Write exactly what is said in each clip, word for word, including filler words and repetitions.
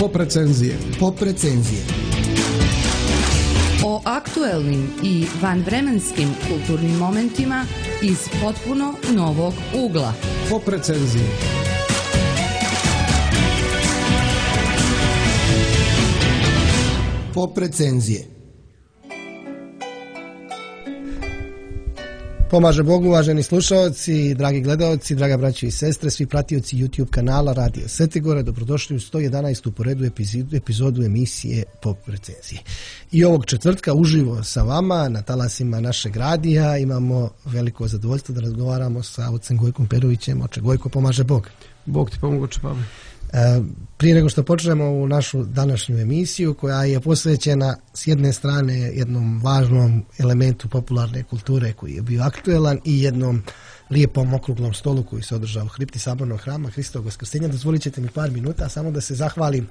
Pop recenzije. Pop recenzije. O aktuelnim i vanvremenskim kulturnim momentima iz potpuno novog ugla. Pop recenzije. Pop recenzije. Pomaže Bogu, uvaženi slušalci, dragi gledalci, draga braćo i sestre, svi pratioci YouTube kanala Radio Svetigora, dobrodošli u sto jedanaestu po redu epizodu, epizodu emisije Pop recenzije. I ovog četvrtka uživo sa vama na talasima našeg radija imamo veliko zadovoljstvo da razgovaramo sa ocem Gojkom Perovićem. Oče Gojko, pomaže Bog. Bog ti pomoći, Pavle. E, prije nego što počnemo u našu današnju emisiju, koja je posvećena s jedne strane jednom važnom elementu popularne kulture koji je bio aktuelan i jednom lijepom okruglom stolu koji se održao u kripti Sabornog hrama Hristovog Vaskrsenja, dozvolit ćete mi par minuta samo da se zahvalim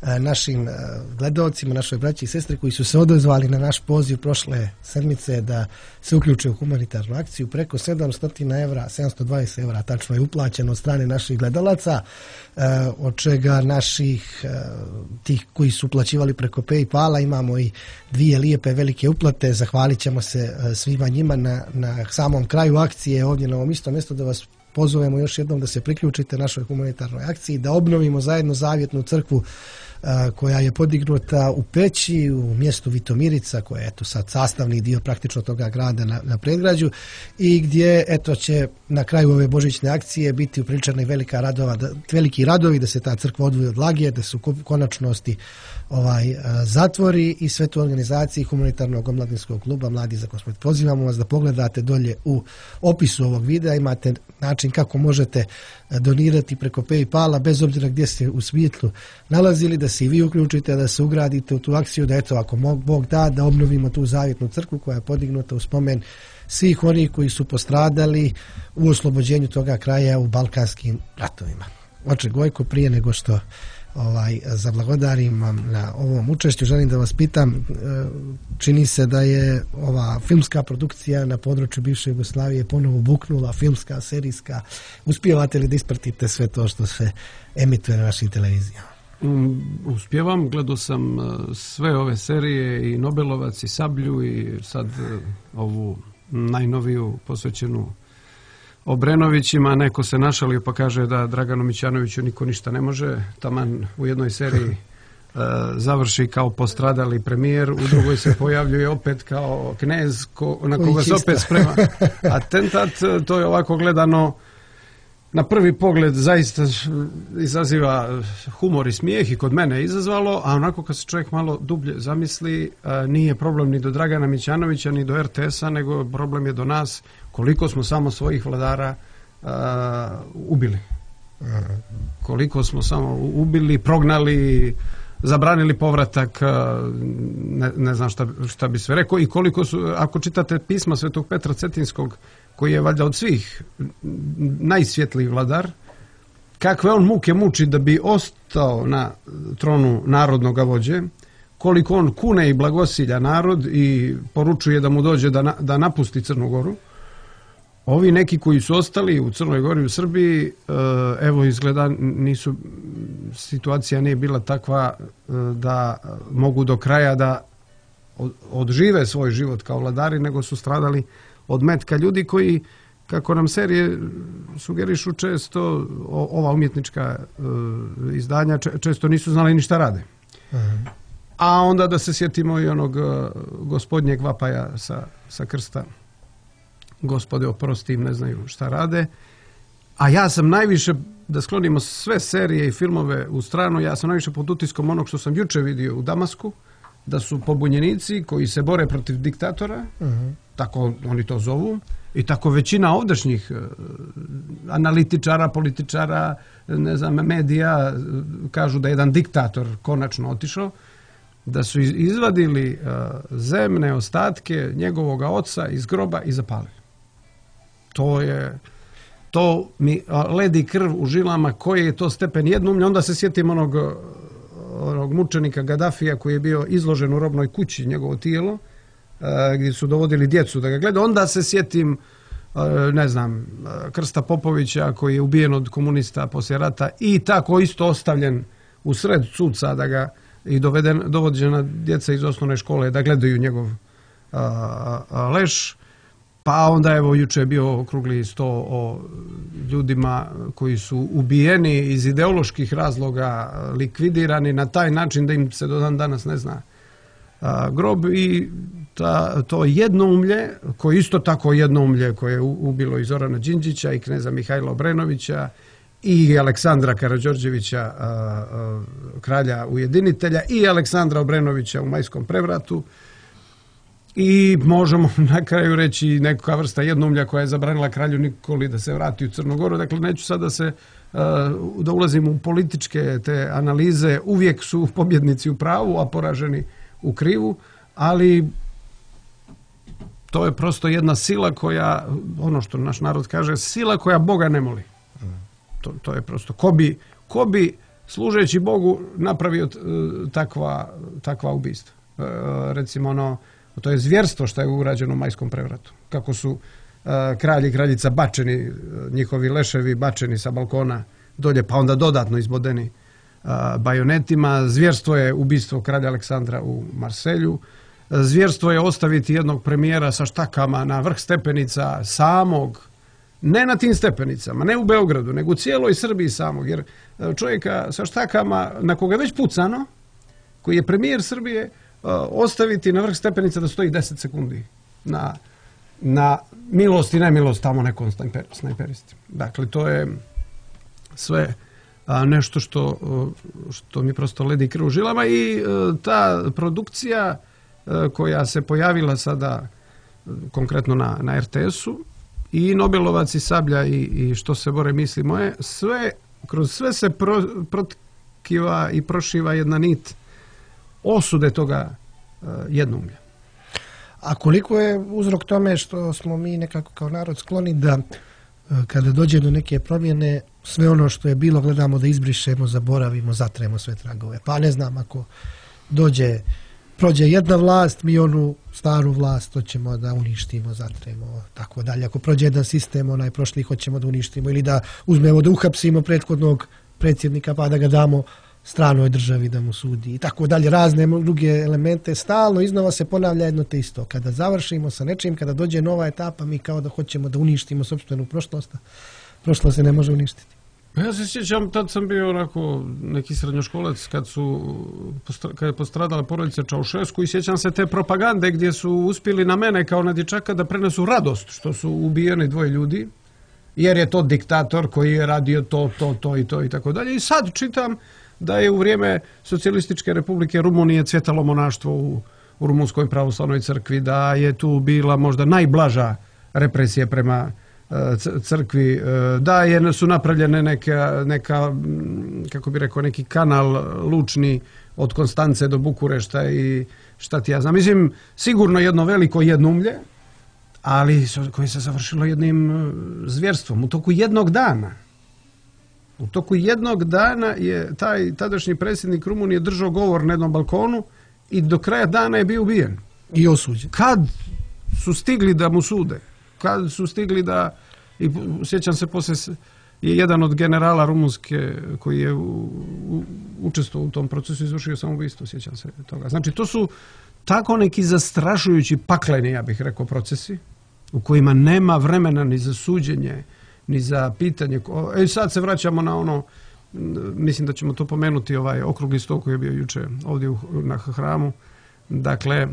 e, našim e, gledalcima, našoj braći i sestri koji su se odazvali na naš poziv prošle sedmice da se uključe u humanitarnu akciju. Preko sedamsto evra, sedamsto dvadeset evra tačno je uplaćeno od strane naših gledalaca, e, od čega naših e, tih koji su uplaćivali preko PayPala imamo i dvije lijepe velike uplate. Zahvalit ćemo se e, svima njima na, na samom kraju akcije ovdje na ovom istom mjestu, da vas pozovemo još jednom da se priključite našoj humanitarnoj akciji, da obnovimo zajedno zavjetnu crkvu a, koja je podignuta u Peći, u mjestu Vitomirica, koja je eto sad sastavni dio praktično toga grada na, na predgrađu, i gdje eto će na kraju ove božićne akcije biti upriličena velika radova, da, veliki radovi da se ta crkva odvoji od lagije, da se u konačnosti ovaj a, zatvori, i sve to u organizaciji humanitarnog omladinskog kluba Mladi za kosmet. Pozivamo vas da pogledate dolje u opisu ovog videa, imate način kako možete donirati preko PayPala, bez obzira gdje ste u svijetu nalazili, da se i vi uključite, da se ugradite u tu akciju, da eto, ako Bog da, da obnovimo tu zavjetnu crkvu koja je podignuta u spomen svih onih koji su postradali u oslobođenju toga kraja u balkanskim ratovima. Oče Gojko, prije nego što ovaj zablagodarim vam na ovom učešću, želim da vas pitam, čini se da je ova filmska produkcija na području bivše Jugoslavije ponovo buknula, filmska, serijska. Uspijevate li da ispratite sve to što se emituje na našim televizijama? Um, uspijevam, gledao sam uh, sve ove serije, i Nobelovac, i Sablju, i sad uh, ovu najnoviju posvećenu Obrenovićima. Neko se našalio pa kaže da Draganu Mićanoviću niko ništa ne može. Taman u jednoj seriji uh, završi kao postradali premijer, u drugoj se pojavljuje opet kao knez ko, na koga se opet sprema atentat. To je ovako gledano na prvi pogled zaista izaziva humor i smijeh, i kod mene je izazvalo, a onako kad se čovjek malo dublje zamisli, nije problem ni do Dragana Mićanovića ni do R T S-a, nego problem je do nas koliko smo samo svojih vladara uh, ubili. Koliko smo samo ubili, prognali, zabranili povratak, ne, ne znam šta, šta bi sve rekao, i koliko su, ako čitate pisma Svetog Petra Cetinskog, koji je valjda od svih najsvjetliji vladar, kakve on muke muči da bi ostao na tronu narodnog vođe, koliko on kune i blagosilja narod i poručuje da mu dođe da, na, da napusti Crnu Goru. Ovi neki koji su ostali u Crnoj Gori i u Srbiji, evo izgleda nisu, situacija nije bila takva da mogu do kraja da odžive svoj život kao vladari, nego su stradali od metka ljudi koji, kako nam serije sugerišu često, ova umjetnička izdanja često nisu znali ni šta rade. Aha. A onda da se sjetimo i onog gospodnjeg vapaja sa, sa krsta. Gospode, oprosti, im ne znaju šta rade. A ja sam najviše, da sklonimo sve serije i filmove u stranu, ja sam najviše pod utiskom onog što sam juče vidio u Damasku, da su pobunjenici koji se bore protiv diktatora, uh-huh. tako oni to zovu, i tako većina ovdašnjih uh, analitičara, političara, ne znam, medija kažu da je jedan diktator konačno otišao, da su izvadili uh, zemne ostatke njegovog oca iz groba i zapalili. To je, to mi ledi krv u žilama, koji je to stepen jednoumlja. Onda se sjetim onog, onog mučenika Gadafija koji je bio izložen u robnoj kući, njegovo tijelo, uh, gdje su dovodili djecu da ga gleda. Onda se sjetim, uh, ne znam, Krsta Popovića koji je ubijen od komunista poslije rata i tako isto ostavljen u sred suca da ga i doveden, dovođena djeca iz osnovne škole da gledaju njegov a, a, leš. Pa onda evo juče je bio okrugli sto o ljudima koji su ubijeni iz ideoloških razloga, likvidirani na taj način da im se do dan danas ne zna a, grob. I ta, to jednoumlje, koje isto tako jednoumlje koje je ubilo i Zorana Đinđića i kneza Mihajla Obrenovića i Aleksandra Karađorđevića, a, a, kralja ujedinitelja, i Aleksandra Obrenovića u Majskom prevratu. I možemo na kraju reći neka vrsta jednoumlja koja je zabranila kralju Nikoli da se vrati u Crnu Goru. Dakle, neću sad da se da ulazim u političke te analize. Uvijek su pobjednici u pravu, a poraženi u krivu, ali to je prosto jedna sila koja, ono što naš narod kaže, sila koja Boga ne moli. To, to je prosto, ko bi, ko bi služeći Bogu napravio takva, takva ubistva. Recimo ono, to je zvjerstvo što je urađeno u Majskom prevratu. Kako su uh, kralj i kraljica bačeni, njihovi leševi bačeni sa balkona dolje, pa onda dodatno izbodeni uh, bajonetima. Zvjerstvo je ubistvo kralja Aleksandra u Marselju. Zvjerstvo je ostaviti jednog premijera sa štakama na vrh stepenica samog, ne na tim stepenicama, ne u Beogradu, nego u cijeloj Srbiji samog. Jer čovjeka sa štakama, na koga je već pucano, koji je premijer Srbije, ostaviti na vrh stepenica da stoji deset sekundi na, na milost i nemilost tamo nekom snajperisti. Dakle, to je sve a, nešto što, što mi prosto ledi krv u žilama. I a, ta produkcija a, koja se pojavila sada konkretno na, na er te esu, i Nobelovac i Sablja i, i Što se bore misli moje, sve, kroz sve se pro, protkiva i prošiva jedna nit osude toga uh, jednoumlja. A koliko je uzrok tome što smo mi nekako kao narod skloni da uh, kada dođe do neke promjene, sve ono što je bilo gledamo da izbrišemo, zaboravimo, zatremo sve tragove. Pa ne znam, ako dođe, prođe jedna vlast, mi onu staru vlast hoćemo da uništimo, zatremo, tako dalje. Ako prođe jedan sistem, onaj prošli hoćemo da uništimo, ili da uzmemo da uhapsimo prethodnog predsjednika pa da ga damo stranoj državi da mu sudi i tako dalje, razne druge elemente. Stalno iznova se ponavlja jedno te isto. Kada završimo sa nečim, kada dođe nova etapa, mi kao da hoćemo da uništimo sopstvenu prošlost, prošlost se ne može uništiti. Ja se sjećam, tad sam bio onako neki srednjoškolac kad su kad je postradala porodica Čaušesku, i sjećam se te propagande gdje su uspjeli na mene kao na dječaka da prenesu radost što su ubijeni dvoje ljudi, jer je to diktator koji je radio to, to, to i to i tako dalje. I sad čitam da je u vrijeme Socijalističke Republike Rumunije cvjetalo monaštvo u, u Rumunskoj pravoslavnoj crkvi, da je tu bila možda najblaža represija prema crkvi, da je, su napravljene neka, neka, kako bi rekao, neki kanal lučni od Konstance do Bukurešta i šta ti ja znam. Mislim, sigurno jedno veliko jednoumlje, ali koje se završilo jednim zvjerstvom u toku jednog dana. U toku jednog dana je taj tadašnji predsjednik Rumunije držao govor na jednom balkonu i do kraja dana je bio ubijen. I osuđen. Kad su stigli da mu sude, kad su stigli da, i sjećam se poslije je jedan od generala rumunske koji je u, u, učestvovao u tom procesu izvršio samoubistvo, sjećam se toga. Znači, to su tako neki zastrašujući pakleni, ja bih rekao, procesi u kojima nema vremena ni za suđenje, ni za pitanje. E, sad se vraćamo na ono, mislim da ćemo to pomenuti, ovaj okrugli sto koji je bio juče ovdje u, na hramu. Dakle,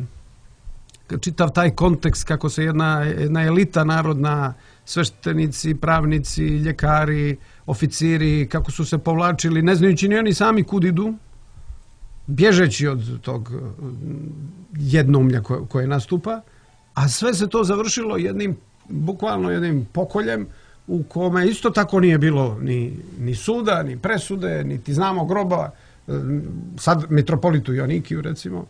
čitav taj kontekst kako se jedna, jedna elita narodna, sveštenici, pravnici, ljekari, oficiri, kako su se povlačili, ne znajući ni oni sami kud idu, bježeći od tog jednoumlja koje, koje nastupa, a sve se to završilo jednim, bukvalno jednim pokoljem u kome isto tako nije bilo ni, ni suda, ni presude, niti znamo groba, sad mitropolitu Joanikiju recimo,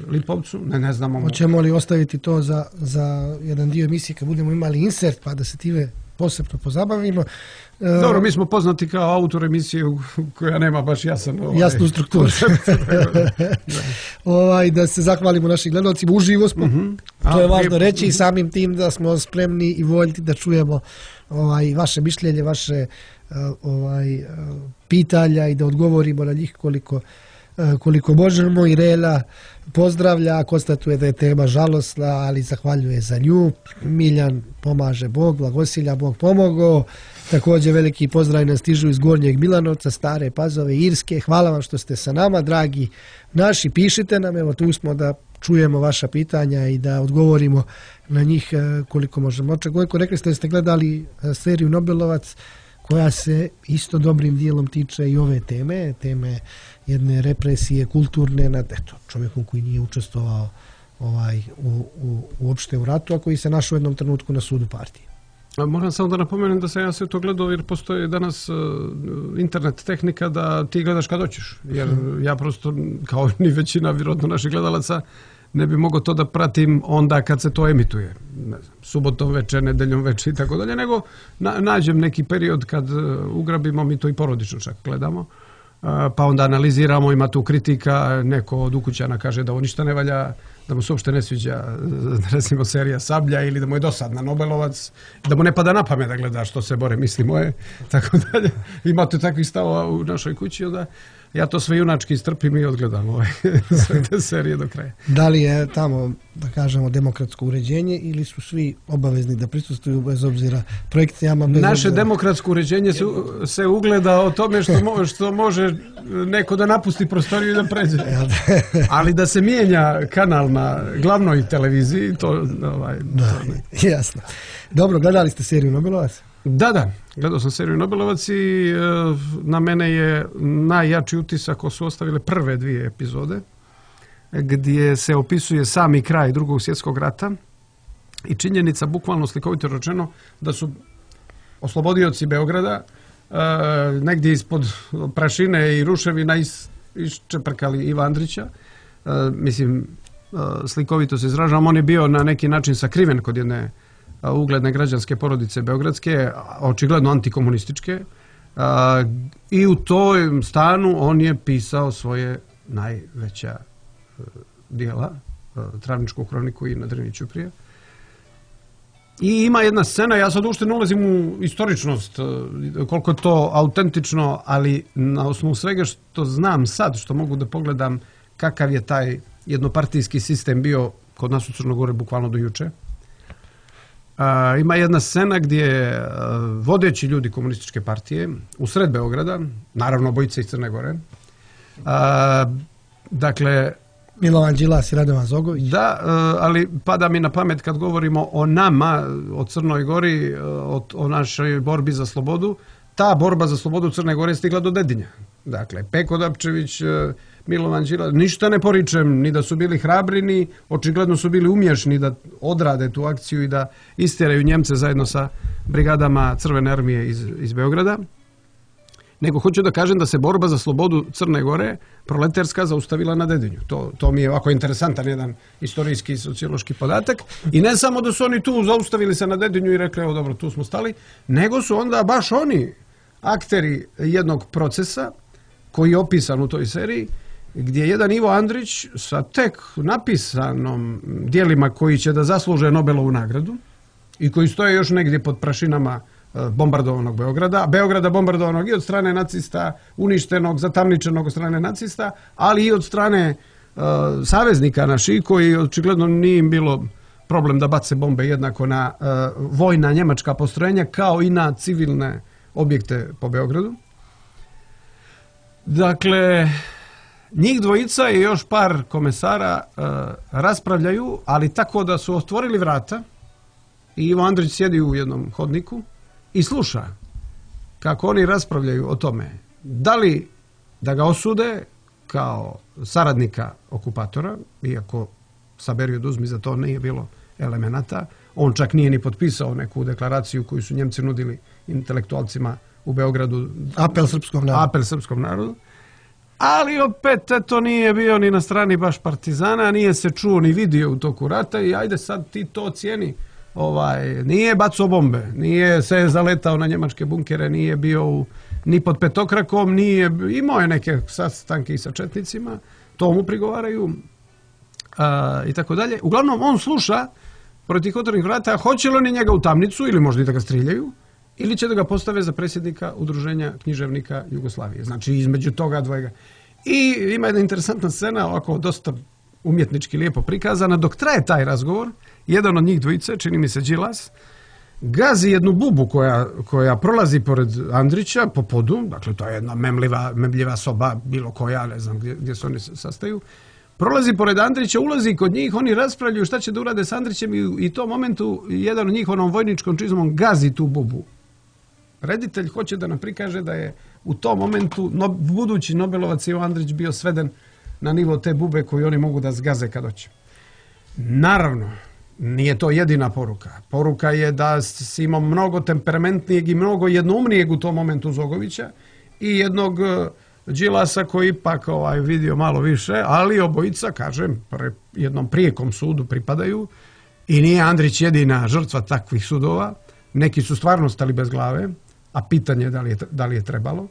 Lipovcu, ne, ne znamo. Hoćemo li ostaviti to za, za jedan dio emisije kad budemo imali insert pa da se time posebno pozabavimo. Dobro, mi smo poznati kao autor emisije koja nema baš jasan ovaj, jasnu strukturu. ovaj, da se zahvalimo našim gledalcima, uživo smo, uh-huh. to je važno reći i samim tim da smo spremni i voljni da čujemo ovaj, vaše mišljenje, vaše ovaj, pitanja i da odgovorimo na njih koliko koliko možemo. Irela pozdravlja, konstatuje da je tema žalosna, ali zahvaljuje za nju. Miljan pomaže Bog, blagosilja Bog pomogao. Također veliki pozdrav nas stižu iz Gornjeg Milanovca, Stare Pazove, Irske. Hvala vam što ste sa nama, dragi naši. Pišite nam, evo tu smo da čujemo vaša pitanja i da odgovorimo na njih koliko možemo. Gojko, rekli ste da ste gledali seriju Nobelovac, koja se isto dobrim dijelom tiče i ove teme, teme jedne represije kulturne nad eto, čovjekom koji nije učestvovao ovaj, u, u, uopšte u ratu, a koji se našao u jednom trenutku na sudu partije. A moram samo da napomenem da sam ja sve to gledao jer postoji danas uh, internet tehnika da ti gledaš kad hoćeš. Jer hmm. ja prosto, kao ni većina vjerojatno naših gledalaca, ne bi mogao to da pratim onda kad se to emituje. Ne znam, subotom večer, nedeljom večer i tako dalje, nego na, nađem neki period kad uh, ugrabimo, mi to i porodično čak gledamo, uh, pa onda analiziramo, ima tu kritika, neko od ukućana kaže da ovo ništa ne valja, da mu se uopšte ne sviđa, recimo, serija Sablja ili da mu je dosadna Nobelovac, da mu ne pada na pamet da gleda što se bore misli moje, tako dalje. Imate takvih stavova u našoj kući, onda ja to sve junački strpim i odgledam ove sve te serije do kraja. Da li je tamo, da kažemo, demokratsko uređenje ili su svi obavezni da prisustvuju bez obzira projekcijama? Bez Naše obzira... demokratsko uređenje se, se ugleda o tome što, mo, što može neko da napusti prostoriju i da pređe. Ali da se mijenja kanal na glavnoj televiziji, to... Ovaj, da, to jasno. Dobro, gledali ste seriju Nobelovac? Da, da, gledao sam seriju Nobelovac i e, na mene je najjači utisak ko su ostavile prve dvije epizode gdje se opisuje sami kraj Drugog svjetskog rata i činjenica, bukvalno slikovito rečeno, da su oslobodioci Beograda e, negdje ispod prašine i ruševina is, iščeprkali Iva Andrića. E, mislim, e, slikovito se izražavam, on je bio na neki način sakriven kod jedne ugledne građanske porodice beogradske, očigledno antikomunističke, i u tom stanu on je pisao svoje najveća dijela, Travničku kroniku i Na Drniću prije. I ima jedna scena, ja sad uopšte ne ulazim u istoričnost, koliko je to autentično, ali na osnovu svega što znam sad, što mogu da pogledam kakav je taj jednopartijski sistem bio kod nas u Crnogore bukvalno do juče. Uh, ima jedna scena gdje uh, vodeći ljudi komunističke partije u sred Beograda, naravno obojice iz Crne Gore, uh, dakle... Milovan Đilas i Radovan Zogović. Da, uh, ali pada mi na pamet kad govorimo o nama, o Crnoj Gori, uh, o, o našoj borbi za slobodu, ta borba za slobodu Crne Gore je stigla do Dedinja. Dakle, Peko Dapčević, uh, Milovan Đilas, ništa ne poričem, ni da su bili hrabri, ni očigledno su bili umješni da odrade tu akciju i da istjeraju Njemce zajedno sa brigadama Crvene armije iz, iz Beograda. Nego hoću da kažem da se borba za slobodu Crne Gore, proletarska, zaustavila na Dedinju. To, to mi je ovako interesantan jedan istorijski i sociološki podatak. I ne samo da su oni tu zaustavili se na Dedinju i rekli, evo dobro, tu smo stali, nego su onda baš oni akteri jednog procesa koji je opisan u toj seriji, gdje jedan Ivo Andrić sa tek napisanom dijelima koji će da zasluže Nobelovu nagradu i koji stoje još negdje pod prašinama bombardovanog Beograda, Beograda bombardovanog i od strane nacista, uništenog, zatamničenog od strane nacista, ali i od strane uh, saveznika naših koji očigledno nije im bilo problem da bace bombe jednako na uh, vojna njemačka postrojenja kao i na civilne objekte po Beogradu. Dakle, njih dvojica i još par komesara uh, raspravljaju, ali tako da su otvorili vrata i Ivo Andrić sjedi u jednom hodniku i sluša kako oni raspravljaju o tome da li da ga osude kao saradnika okupatora, iako saberi oduzmi za to nije bilo elemenata. On čak nije ni potpisao neku deklaraciju koju su Njemci nudili intelektualcima u Beogradu. Apel srpskom narodu. Apel srpskom narodu. Ali opet to nije bio ni na strani baš partizana, nije se čuo ni vidio u toku rata i ajde sad ti to cijeni ovaj, nije bacao bombe, nije se zaletao na njemačke bunkere, nije bio u, ni pod petokrakom, nije, imao je neke sastanke i sa četnicima, to mu prigovaraju a, i tako dalje. Uglavnom, on sluša protiv otvorenih vrata, hoće li oni njega u tamnicu ili možda i da ga striljaju, ili će da ga postave za predsjednika Udruženja književnika Jugoslavije. Znači, između toga dvojega. I ima jedna interesantna scena, ovako dosta umjetnički lijepo prikazana. Dok traje taj razgovor, jedan od njih dvojice, čini mi se Đilas, gazi jednu bubu koja, koja prolazi pored Andrića po podu, dakle to je jedna memljiva, memljiva soba, bilo koja, ne znam gdje, gdje se oni sastaju, prolazi pored Andrića, ulazi kod njih, oni raspravljaju šta će da urade s Andrićem i, i u tom momentu jedan od njih onom vojničkom čizmom gazi tu bubu. Reditelj hoće da nam prikaže da je u tom momentu no, budući Nobelovac Ivo Andrić bio sveden na nivo te bube koju oni mogu da zgaze kad hoće. Naravno, nije to jedina poruka. Poruka je da si imao mnogo temperamentnijeg i mnogo jednoumnijeg u tom momentu Zogovića i jednog Đilasa koji ipak ovaj, vidio malo više, ali obojica, kažem, pre, jednom prijekom sudu pripadaju i nije Andrić jedina žrtva takvih sudova. Neki su stvarno stali bez glave, a pitanje je da li je, da li je trebalo.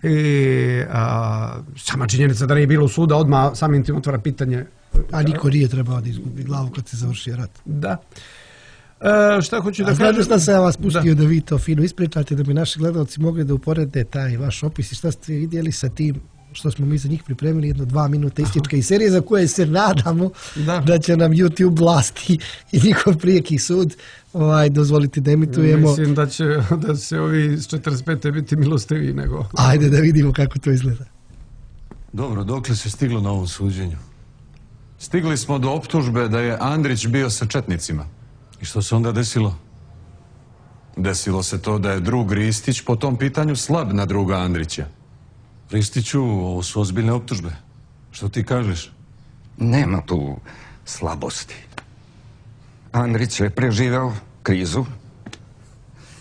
I, a, sama činjenica da nije bilo suda odmah samim tim otvara pitanje. A niko nije trebao da izgubi glavu kad se završio rat. Da. E, šta hoću da a kažem? Znate šta sam ja vas pustio da. da vi to fino ispričate, da bi naši gledalci mogli da uporede taj vaš opis i šta ste vidjeli sa tim što smo mi za njih pripremili, jedno dva minuta istička i serije za koje se nadamo da, da će nam YouTube vlasti i njihov prijeki sud ovaj, dozvoliti da emitujemo. Mislim da će, da će ovi iz četrdeset pete biti milostiviji nego... Ajde da vidimo kako to izgleda. Dobro, dokle se stiglo na ovom suđenju? Stigli smo do optužbe da je Andrić bio sa četnicima. I što se onda desilo? Desilo se to da je drug Ristić po tom pitanju slab na druga Andrića. Ristiću, ovo su ozbiljne optužbe. Što ti kažeš? Nema tu slabosti. Andrić je preživeo krizu.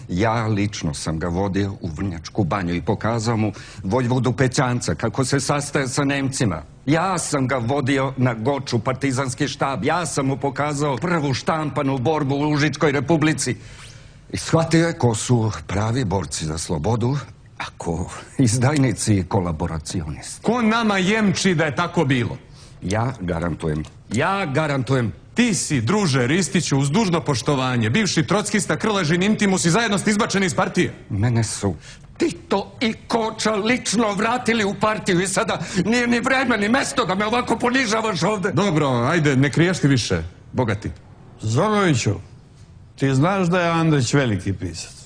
Ja lično sam ga vodio u Vrnjačku banju i pokazao mu vojvodu Pećanca kako se sastaje sa Nemcima. Ja sam ga vodio na Goču, partizanski štab. Ja sam mu pokazao prvu štampanu borbu u Užičkoj republici. I shvatio je ko su pravi borci za slobodu, ako izdajnici i kolaboracionisti. Ko nama jemči da je tako bilo? Ja garantujem. Ja garantujem. Ti si, druže Ristiću, uz dužno poštovanje, bivši trockista Krležin Intimus i zajedno ste izbačeni iz partije. Mene su Tito i Koča lično vratili u partiju i sada nije ni vreme ni mesto da me ovako ponižavaš ovde. Dobro, ajde, ne kriješ ti više, bogati. Zogoviću, ti znaš da je Andrić veliki pisac?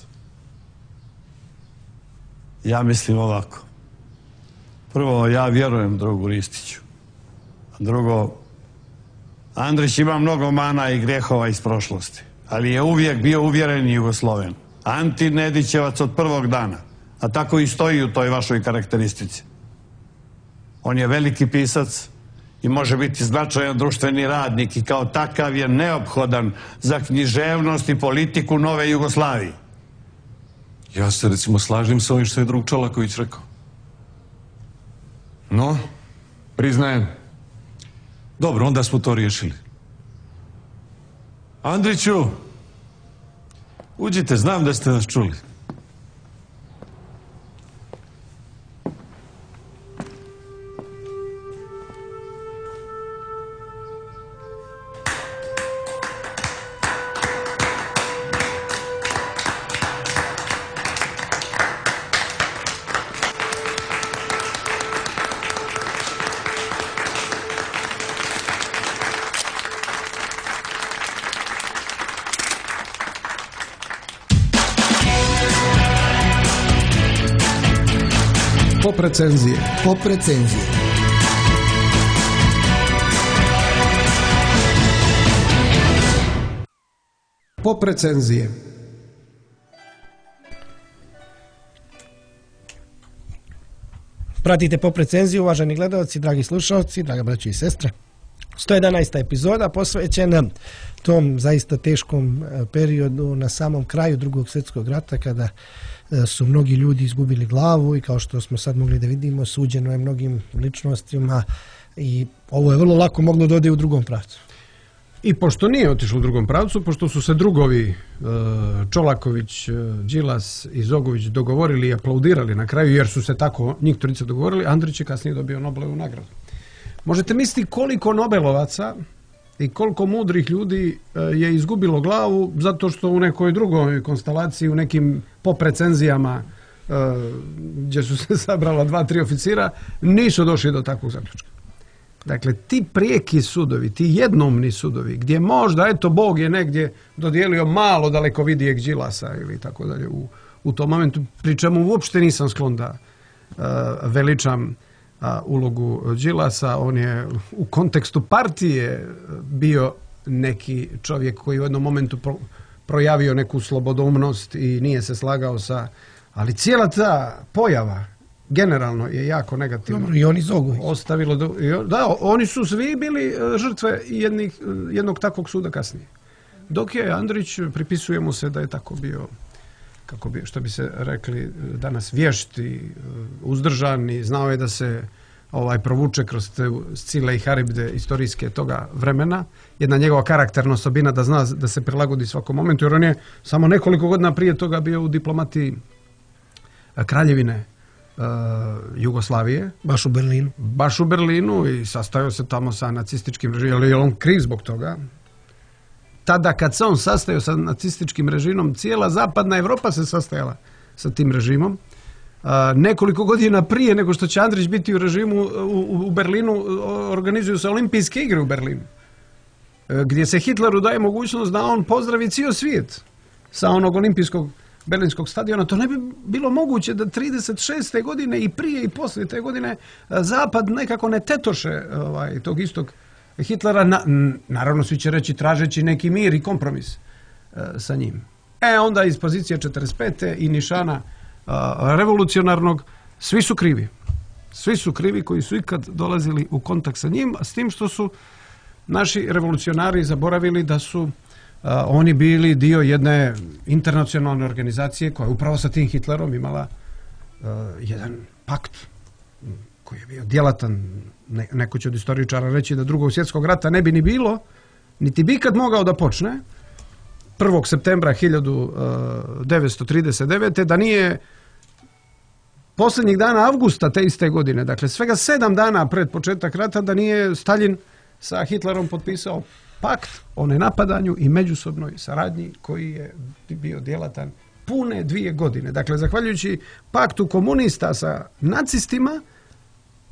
Ja mislim ovako. Prvo, ja vjerujem drugu Ristiću. A drugo, Andrić ima mnogo mana i grehova iz prošlosti, ali je uvijek bio uvjereni Jugosloven. Antinedićevac od prvog dana, a tako i stoji u toj vašoj karakteristici. On je veliki pisac i može biti značajan društveni radnik i kao takav je neophodan za književnost i politiku nove Jugoslavije. Ja se recimo slažem sa ovim što je drug Čolaković rekao. No, priznajem. Dobro, onda smo to riješili. Andriću, uđite, znam da ste nas čuli. Pop recenzije. Pop recenzije. Pop recenzije. Pratite Pop recenziju, uvaženi gledalci, dragi slušalci, draga braćo i sestre. sto jedanaesta epizoda posvećena tom zaista teškom periodu na samom kraju Drugog svjetskog rata, kada su mnogi ljudi izgubili glavu i kao što smo sad mogli da vidimo, suđeno je mnogim ličnostima i ovo je vrlo lako moglo da ode u drugom pravcu. I pošto nije otišlo u drugom pravcu, pošto su se drugovi Čolaković, Đilas i Zogović dogovorili i aplaudirali na kraju, jer su se tako njih trojica dogovorili, Andrić je kasnije dobio Nobelovu nagradu. Možete misliti koliko Nobelovaca i koliko mudrih ljudi je izgubilo glavu zato što u nekoj drugoj konstelaciji, u nekim pop recenzijama gdje su se sabrala dva, tri oficira, nisu došli do takvog zaključka. Dakle, ti prijeki sudovi, ti jednomni sudovi, gdje možda, eto, Bog je negdje dodijelio malo dalekovidijeg Đilasa ili tako dalje u, u tom momentu, pri čemu uopšte nisam sklon da uh, veličam uh, ulogu Đilasa. On je u kontekstu partije bio neki čovjek koji u jednom momentu pro, projavio neku slobodoumnost i nije se slagao sa... Ali cijela ta pojava generalno je jako negativno. Dobro, i oni Zogović. Ostavilo do, da, oni su svi bili žrtve jednih, jednog takvog suda kasnije. Dok je Andrić, pripisuje mu se da je tako bio, kako bi, što bi se rekli danas, vješti, uzdržani, znao je da se ovaj provuče kroz te scile i haribde istorijske toga vremena. Jedna njegova karakterna osobina da zna da se prilagodi svakom momentu, jer on je samo nekoliko godina prije toga bio u diplomatiji Kraljevine Uh, Jugoslavije. Baš u Berlinu. Baš u Berlinu i sastajao se tamo sa nacističkim režimom, ali je on kriv zbog toga. Tada kad se on sastajao sa nacističkim režimom, cijela zapadna Evropa se sastajala sa tim režimom. Uh, nekoliko godina prije nego što će Andrić biti u režimu u, u Berlinu, organizuju se olimpijske igre u Berlinu, uh, gdje se Hitleru daje mogućnost da on pozdravi cijel svijet sa onog olimpijskog Berlinskog stadiona. To ne bi bilo moguće da trideset šeste godine i prije i poslije te godine Zapad nekako ne tetoše ovaj, tog istog Hitlera. Na, naravno svi će reći tražeći neki mir i kompromis uh, sa njim. E onda iz pozicije četrdeset pete i nišana uh, revolucionarnog svi su krivi. Svi su krivi koji su ikad dolazili u kontakt sa njim, s tim što su naši revolucionari zaboravili da su Uh, oni bili dio jedne internacionalne organizacije koja je upravo sa tim Hitlerom imala uh, jedan pakt koji je bio djelatan. Ne, neko će od istoričara reći da drugog svjetskog rata ne bi ni bilo, niti bi ikad mogao da počne prvog septembra hiljadu devetsto trideset devete. da nije posljednjih dana avgusta te iste godine, dakle svega sedam dana pred početak rata, da nije Stalin sa Hitlerom potpisao pakt o nenapadanju i međusobnoj saradnji koji je bio djelatan pune dvije godine. Dakle, zahvaljujući paktu komunista sa nacistima,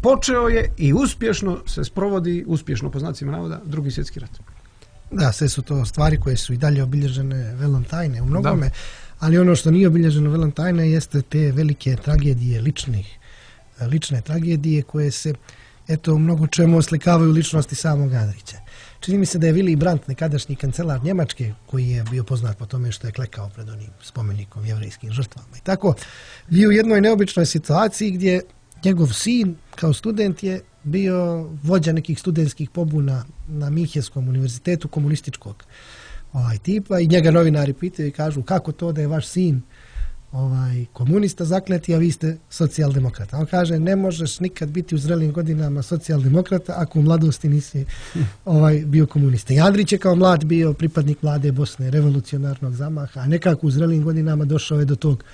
počeo je i uspješno se sprovodi, uspješno po znacima navoda, drugi svjetski rat. Da, sve su to stvari koje su i dalje obilježene velom tajne u mnogome, da. Ali ono što nije obilježeno velom tajne jeste te velike tragedije ličnih, lične tragedije koje se, eto, u mnogo čemu oslikavaju ličnosti samog Andrića. Čini mi se da je Willy Brandt, nekadašnji kancelar Njemačke, koji je bio poznat po tome što je klekao pred onim spomenikom jevrejskim žrtvama i tako, bio u jednoj neobičnoj situaciji gdje njegov sin kao student je bio vođa nekih studentskih pobuna na Minhenskom univerzitetu komunističkog ovaj, tipa i njega novinari pitaju i kažu kako to da je vaš sin ovaj, komunista zakleti, a vi ste socijaldemokrata. On kaže, ne možeš nikad biti u zrelim godinama socijaldemokrata ako u mladosti nisi ovaj, bio komunista. I Andrić je kao mlad bio pripadnik mlade Bosne, revolucionarnog zamaha, a nekako u zrelim godinama došao je do tog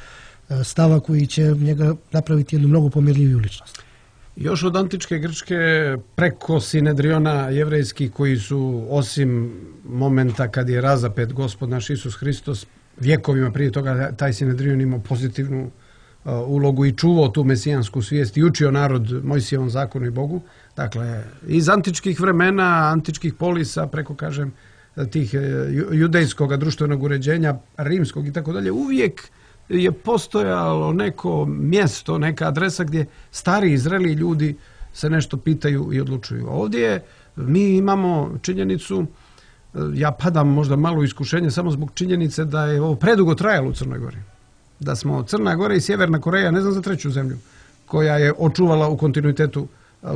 stava koji će njega napraviti jednu mnogo pomirljiviju ličnost. Još od antičke Grčke preko Sinedriona jevrejskih koji su, osim momenta kad je razapet Gospod naš Isus Hristos, vjekovima prije toga taj Sinedrion imao pozitivnu uh, ulogu i čuvao tu mesijansku svijest i učio narod Mojsijevom zakonu i Bogu. Dakle, iz antičkih vremena, antičkih polisa, preko, kažem, tih uh, judejskog društvenog uređenja, rimskog i tako dalje, uvijek je postojalo neko mjesto, neka adresa gdje stari i zreli ljudi se nešto pitaju i odlučuju. Ovdje mi imamo činjenicu, ja padam možda malo u iskušenje samo zbog činjenice da je ovo predugo trajalo u Crnoj Gori. Da smo Crna Gora i Sjeverna Koreja, ne znam za treću zemlju, koja je očuvala u kontinuitetu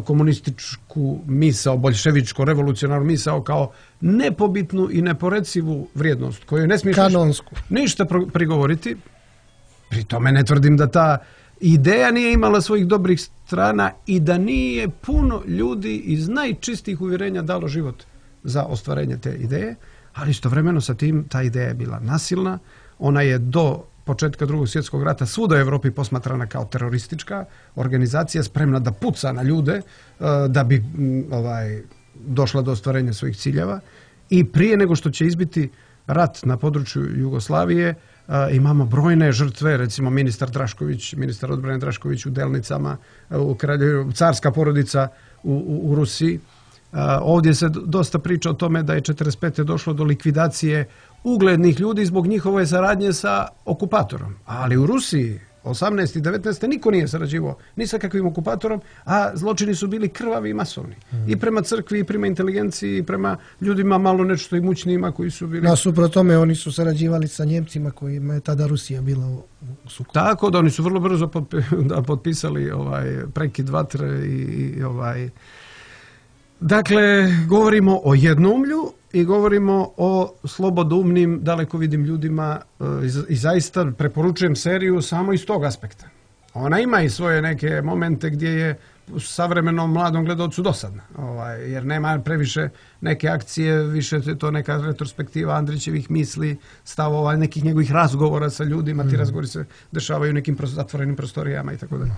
komunističku misao, boljševičko, revolucionarnu misao kao nepobitnu i neporecivu vrijednost koju ne smiješ kanonsku ništa prigovoriti. Pri tome ne tvrdim da ta ideja nije imala svojih dobrih strana i da nije puno ljudi iz najčistijih uvjerenja dalo život za ostvarenje te ideje, ali istovremeno sa tim ta ideja je bila nasilna. Ona je do početka drugog svjetskog rata svuda u Europi posmatrana kao teroristička organizacija spremna da puca na ljude da bi ovaj, došla do ostvarenja svojih ciljeva. I prije nego što će izbiti rat na području Jugoslavije, imamo brojne žrtve, recimo ministar Drašković, ministar odbrane Drašković u Delnicama, u kralju, carska porodica u, u, u Rusiji. Ovdje se dosta priča o tome da je četrdeset pete došlo do likvidacije uglednih ljudi zbog njihove saradnje sa okupatorom. Ali u Rusiji osamnaeste i devetnaeste niko nije sarađivao ni sa kakvim okupatorom, a zločini su bili krvavi i masovni. Mm. I prema crkvi, i prema inteligenciji, i prema ljudima malo nešto imućnijima koji su bili... Nasuprot tome oni su sarađivali sa Njemcima kojima je tada Rusija bila u, u sukobu. Tako da oni su vrlo brzo potpi, da, potpisali ovaj, prekid vatre i, i ovaj... Dakle, govorimo o jednoumlju i govorimo o slobodoumnim, dalekovidnim ljudima i zaista preporučujem seriju samo iz tog aspekta. Ona ima i svoje neke momente gdje je savremenom mladom gledalcu dosadna, ovaj, jer nema previše neke akcije, više je to neka retrospektiva Andrićevih misli, stavova, nekih njegovih razgovora sa ljudima, ti razgovori se dešavaju u nekim zatvorenim prostorijama i tako dalje.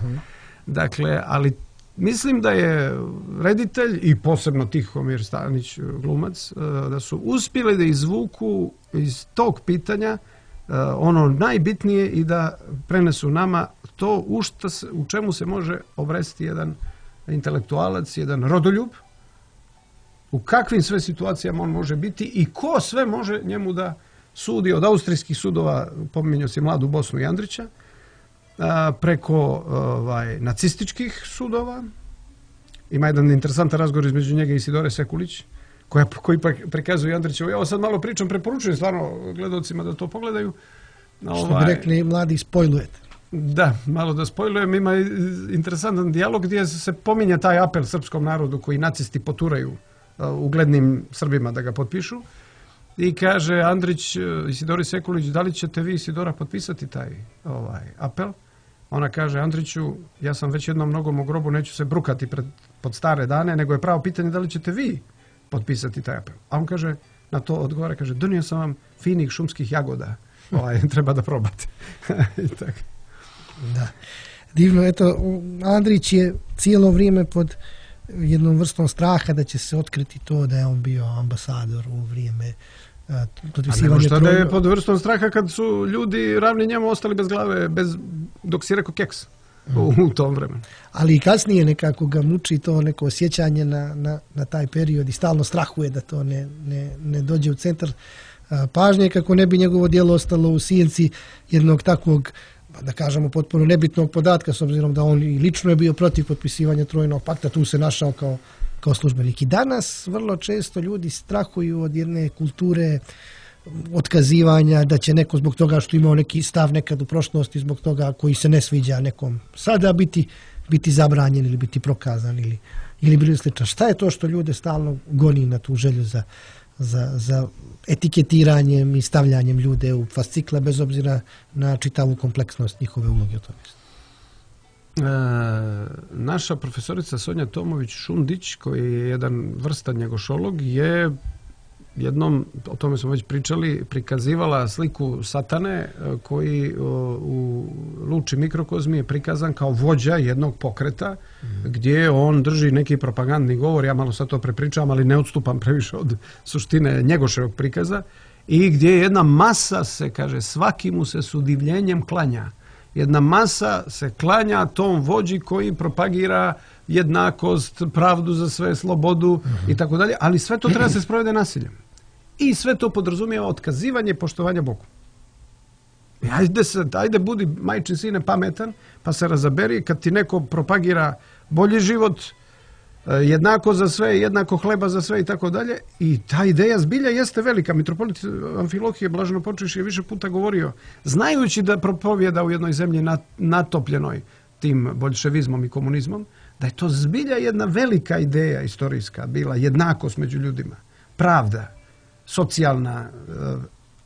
Dakle, ali mislim da je reditelj i posebno Tihomir Stanić, glumac, da su uspjeli da izvuku iz tog pitanja ono najbitnije i da prenesu nama to u, šta se, u čemu se može obresti jedan intelektualac, jedan rodoljub, u kakvim sve situacijama on može biti i ko sve može njemu da sudi od austrijskih sudova, pominjao si Mladu Bosnu i Andrića, preko ovaj, nacističkih sudova. Ima jedan interesantan razgovor između njega i Isidore Sekulić, koja, koji prikazuje Andrićevo. Ja ovo sad malo pričam, preporučujem stvarno gledalcima da to pogledaju. Što ovaj, bi rekli mladi, spojlujete. Da, malo da spojlujem. Ima interesantan dijalog gdje se pominje taj apel srpskom narodu koji nacisti poturaju uglednim Srbima da ga potpišu. I kaže Andrić Isidori Sekulić, da li ćete vi, Isidora, potpisati taj ovaj, apel? Ona kaže, Andriću, ja sam već jednom nogom u grobu, neću se brukati pred, pod stare dane, nego je pravo pitanje da li ćete vi potpisati taj apel. A on kaže, na to odgovara, kaže, donio sam vam finih šumskih jagoda, ovaj, treba da probate. I tako. Da. Divno, eto, Andrić je cijelo vrijeme pod jednom vrstom straha da će se otkriti to da je on bio ambasador u vrijeme potpisivanja trojnog. A šta da je pod vrstom straha kad su ljudi ravni njemu ostali bez glave, bez, dok si rekao keks mm. u, u tom vremenu. Ali i kasnije nekako ga muči to neko osjećanje na, na, na taj period i stalno strahuje da to ne, ne, ne dođe u centar pažnje kako ne bi njegovo djelo ostalo u sjenci jednog takvog, da kažemo, potpuno nebitnog podatka, s obzirom da on i lično je bio protiv potpisivanja Trojnog pakta, tu se našao kao, kao službenik. I danas vrlo često ljudi strahuju od jedne kulture otkazivanja, da će neko zbog toga što imao neki stav nekad u prošlosti, zbog toga koji se ne sviđa nekom sada biti, biti zabranjen ili biti prokazan ili, ili bilo slično. Šta je to što ljude stalno goni na tu želju za Za, za etiketiranjem i stavljanjem ljude u fascikle bez obzira na čitavu kompleksnost njihove uloge u tome? E, naša profesorica Sonja Tomović-Šundić, koji je jedan vrstan njegošolog, je jednom, o tome smo već pričali, prikazivala sliku satane koji o, u Luči mikrokozmi je prikazan kao vođa jednog pokreta mm. gdje on drži neki propagandni govor, ja malo sad to prepričavam, ali ne odstupam previše od suštine njegoševog prikaza, i gdje jedna masa se, kaže, svaki mu se s udivljenjem klanja. Jedna masa se klanja tom vođi koji propagira jednakost, pravdu za sve, slobodu mm-hmm. i tako dalje, ali sve to treba se sprovede nasiljem. I sve to podrazumijeva otkazivanje i poštovanja Bogu. I ajde, se, ajde budi, majčin sine, pametan, pa se razaberi kad ti neko propagira bolji život, jednako za sve, jednako hleba za sve i tako dalje. I ta ideja zbilja jeste velika. Mitropolit Amfilohije Blaženopočivši je više puta govorio, znajući da propovjeda u jednoj zemlji natopljenoj tim boljševizmom i komunizmom, da je to zbilja jedna velika ideja istorijska bila, jednakost među ljudima, pravda, socijalna,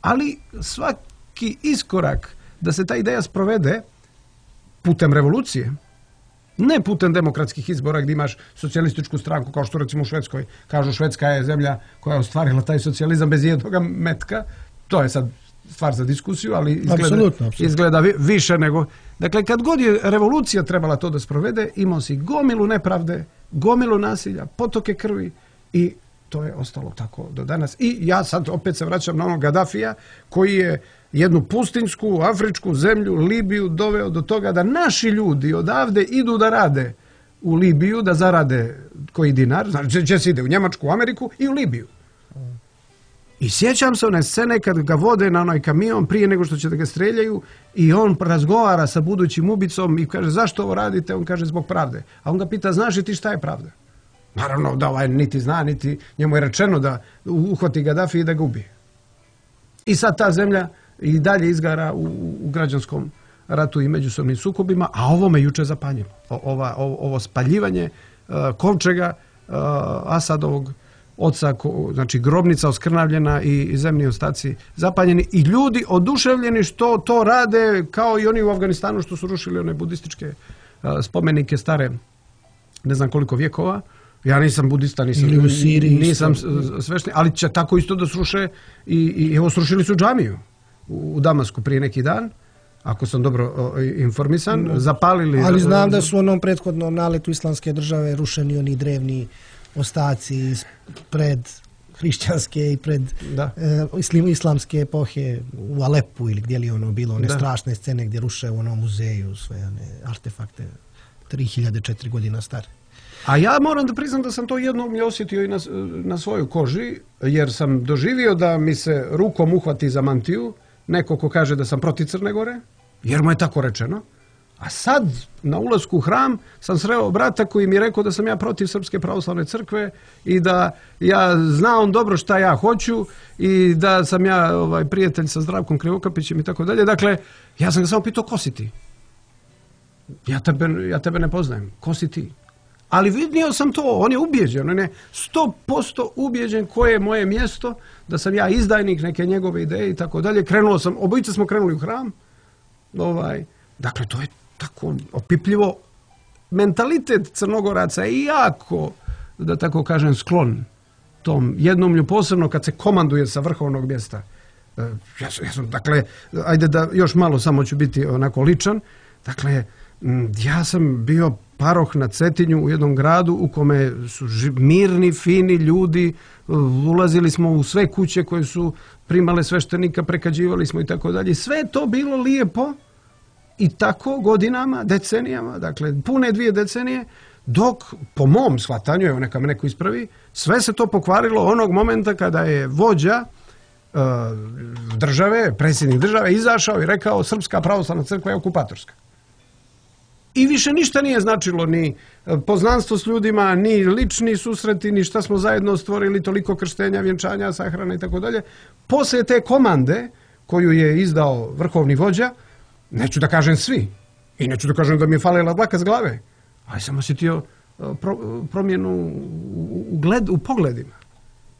ali svaki iskorak da se ta ideja sprovede putem revolucije Ne putem demokratskih izbora gdje imaš socijalističku stranku, kao što recimo u Švedskoj kažu Švedska je zemlja koja je ostvarila taj socijalizam bez jednog metka. To je sad stvar za diskusiju, ali izgleda, apsolutno, apsolutno. izgleda više nego... Dakle, kad god je revolucija trebala to da sprovede, imao si gomilu nepravde, gomilu nasilja, potoke krvi i to je ostalo tako do danas. I ja sad opet se vraćam na onog Gadafija koji je jednu pustinjsku, afričku zemlju, Libiju, doveo do toga da naši ljudi odavde idu da rade u Libiju, da zarade koji dinar, znači će se ide u Njemačku, u Ameriku i u Libiju. I sjećam se one scene kad ga vode na onaj kamion prije nego što će da ga streljaju i on razgovara sa budućim ubicom i kaže zašto ovo radite? On kaže zbog pravde. A on ga pita znaš li ti šta je pravda? Naravno da ovaj niti zna, niti njemu je rečeno da uhvati Gaddafi i da ga ubije. I sad ta zemlja i dalje izgara u, u građanskom ratu i međusobnim sukobima, a ovo me juče zapanjilo. O, ova, ovo, ovo spaljivanje uh, kovčega uh, Asadovog oca, ko, znači grobnica oskrnavljena i, i zemni ostaci zapaljeni i ljudi oduševljeni što to rade kao i oni u Afganistanu što su rušili one budističke uh, spomenike stare ne znam koliko vjekova. Ja nisam budista, nisam, ili u Siriji nisam svešten, ali će tako isto da sruše i, i evo srušili su džamiju u, u Damasku prije neki dan, ako sam dobro o, informisan, no. zapalili... Ali znam da su u onom prethodnom naletu islamske države rušeni oni drevni ostaci pred hrišćanske i pred e, islamske epohe u Alepu ili gdje li ono bilo, one da. strašne scene gdje ruše u onom muzeju sve one artefakte tri hiljade četiri godina stare. A ja moram da priznam da sam to jednom je osjetio i na, na svojoj koži, jer sam doživio da mi se rukom uhvati za mantiju neko ko kaže da sam protiv Crne Gore, jer mu je tako rečeno. A sad, na ulasku u hram, sam sreo brata koji mi je rekao da sam ja protiv Srpske pravoslavne crkve i da ja znam dobro šta ja hoću i da sam ja ovaj, prijatelj sa Zdravkom Krivokapićem i tako dalje. Dakle, ja sam ga samo pitao, ko si ti? Ja tebe, ja tebe ne poznajem. Ko si ti? Ali vidio sam to, on je ubijeđen, on je sto posto ubijeđen koje je moje mjesto, da sam ja izdajnik neke njegove ideje i tako dalje. Krenuo sam, obojica smo krenuli u hram. Ovaj, dakle, to je tako opipljivo. Mentalitet Crnogoraca je jako, da tako kažem, sklon tom jednoumlju, posebno kad se komanduje sa vrhovnog mjesta. Ja sam, ja sam, dakle, ajde da još malo samo ću biti onako ličan. Dakle, ja sam bio paroh na Cetinju u jednom gradu u kome su mirni, fini ljudi, ulazili smo u sve kuće koje su primale sveštenika, prekađivali smo i tako dalje. Sve je to bilo lijepo i tako godinama, decenijama, dakle pune dvije decenije, dok po mom shvatanju, evo neka me neko ispravi, sve se to pokvarilo onog momenta kada je vođa uh, države, predsjednik države, izašao i rekao Srpska pravoslavna crkva je okupatorska. I više ništa nije značilo, ni poznanstvo s ljudima, ni lični susreti, ni šta smo zajedno stvorili, toliko krštenja, vjenčanja, sahrana i tako dalje. Poslije te komande koju je izdao vrhovni vođa, neću da kažem svi, i neću da kažem da mi je falila dlaka s glave, ali sam osjetio pro, promjenu u, u, gled, u pogledima,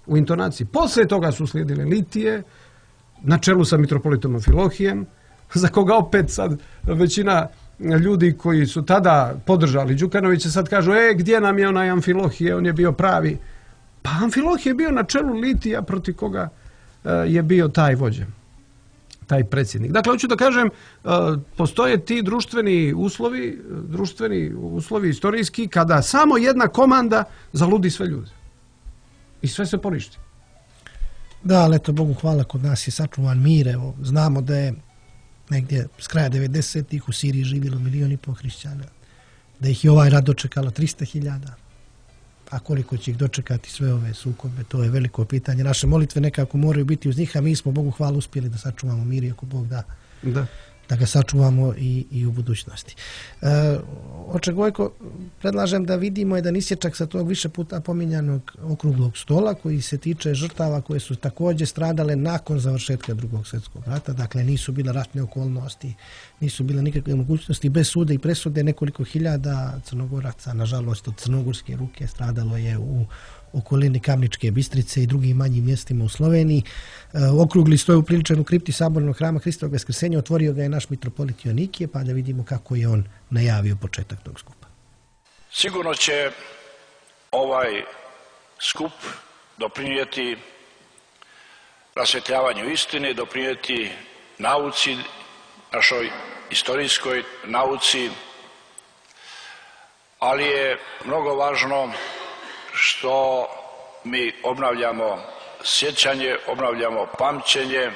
u intonaciji. Poslije toga su slijedile litije, na čelu sa mitropolitom Amfilohijem, za koga opet sad većina ljudi koji su tada podržali Đukanovića sad kažu, e, gdje nam je onaj Amfilohije, on je bio pravi. Pa Amfilohije je bio na čelu litija protiv koga uh, je bio taj vođa, taj predsjednik. Dakle, hoću da kažem, uh, postoje ti društveni uslovi, društveni uslovi istorijski, kada samo jedna komanda zaludi sve ljude. I sve se poništi. Da, ali eto, Bogu hvala, kod nas je sačuvan mir. Evo, znamo da je negdje s kraja devedesetih u Siriji živjelo milijon i pol hrišćana. Da ih je ovaj rat dočekalo trista hiljada. A koliko će ih dočekati sve ove sukobe, to je veliko pitanje. Naše molitve nekako moraju biti uz njih, a mi smo, Bogu hvala, uspjeli da sačuvamo mir i ako Bog da, da. da ga sačuvamo i, i u budućnosti. E, Oče Gojko, predlažem da vidimo jedan isječak sa tog više puta pominjanog okruglog stola koji se tiče žrtava koje su također stradale nakon završetka Drugog svjetskog rata. Dakle, nisu bile ratne okolnosti, nisu bile nikakve mogućnosti. Bez sude i presude nekoliko hiljada Crnogoraca, nažalost, od crnogorske ruke stradalo je u okolini Kamničke Bistrice i drugim manjim mjestima u Sloveniji. E, okrugli stoj upriličen u kripti Sabornog hrama Hristovog Vaskrsenja, otvorio ga je naš mitropolit Joanikije, pa da vidimo kako je on najavio početak tog skupa. Sigurno će ovaj skup doprinijeti rasvjetljavanju istine, doprinijeti nauci, našoj istorijskoj nauci, ali je mnogo važno što mi obnavljamo sjećanje, obnavljamo pamćenje,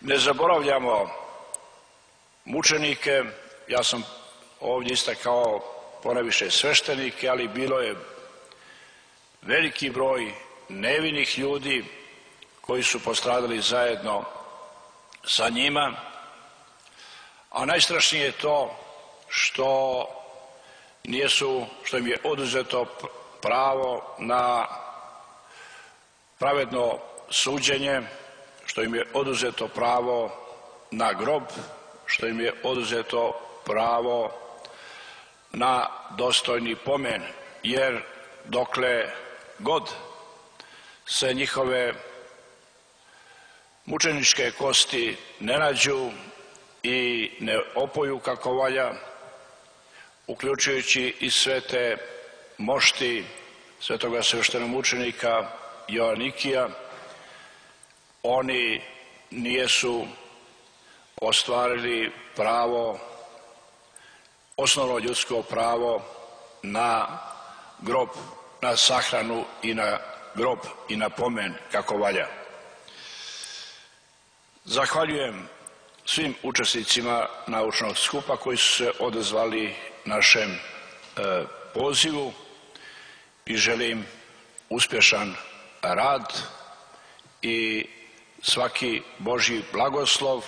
ne zaboravljamo mučenike. Ja sam ovdje istakao ponajviše sveštenike, ali bilo je veliki broj nevinih ljudi koji su postradali zajedno sa njima, a najstrašnije je to što nijesu, što im je oduzeto pravo na pravedno suđenje, što im je oduzeto pravo na grob, što im je oduzeto pravo na dostojni pomen, jer dokle god se njihove mučeničke kosti ne nađu i ne opoju kako valja, uključujući i sve te mošti svetoga sveštenomučenika Joanikija, oni nijesu ostvarili pravo, osnovno ljudsko pravo na grob, na sahranu i na grob i na pomen kako valja. Zahvaljujem svim učesnicima naučnog skupa koji su se odazvali našem e, pozivu i želim uspješan rad i svaki Božji blagoslov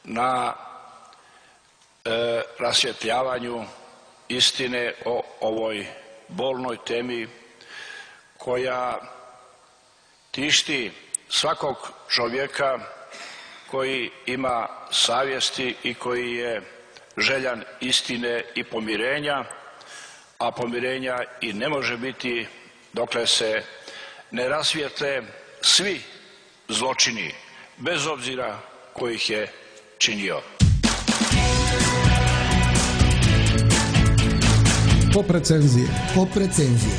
na e, rasvjetljavanju istine o ovoj bolnoj temi koja tišti svakog čovjeka koji ima savjesti i koji je željan istine i pomirenja, a pomirenja i ne može biti dokle se ne rasvijetle svi zločini, bez obzira ko ih je činio. Pop recenzije. Pop recenzije.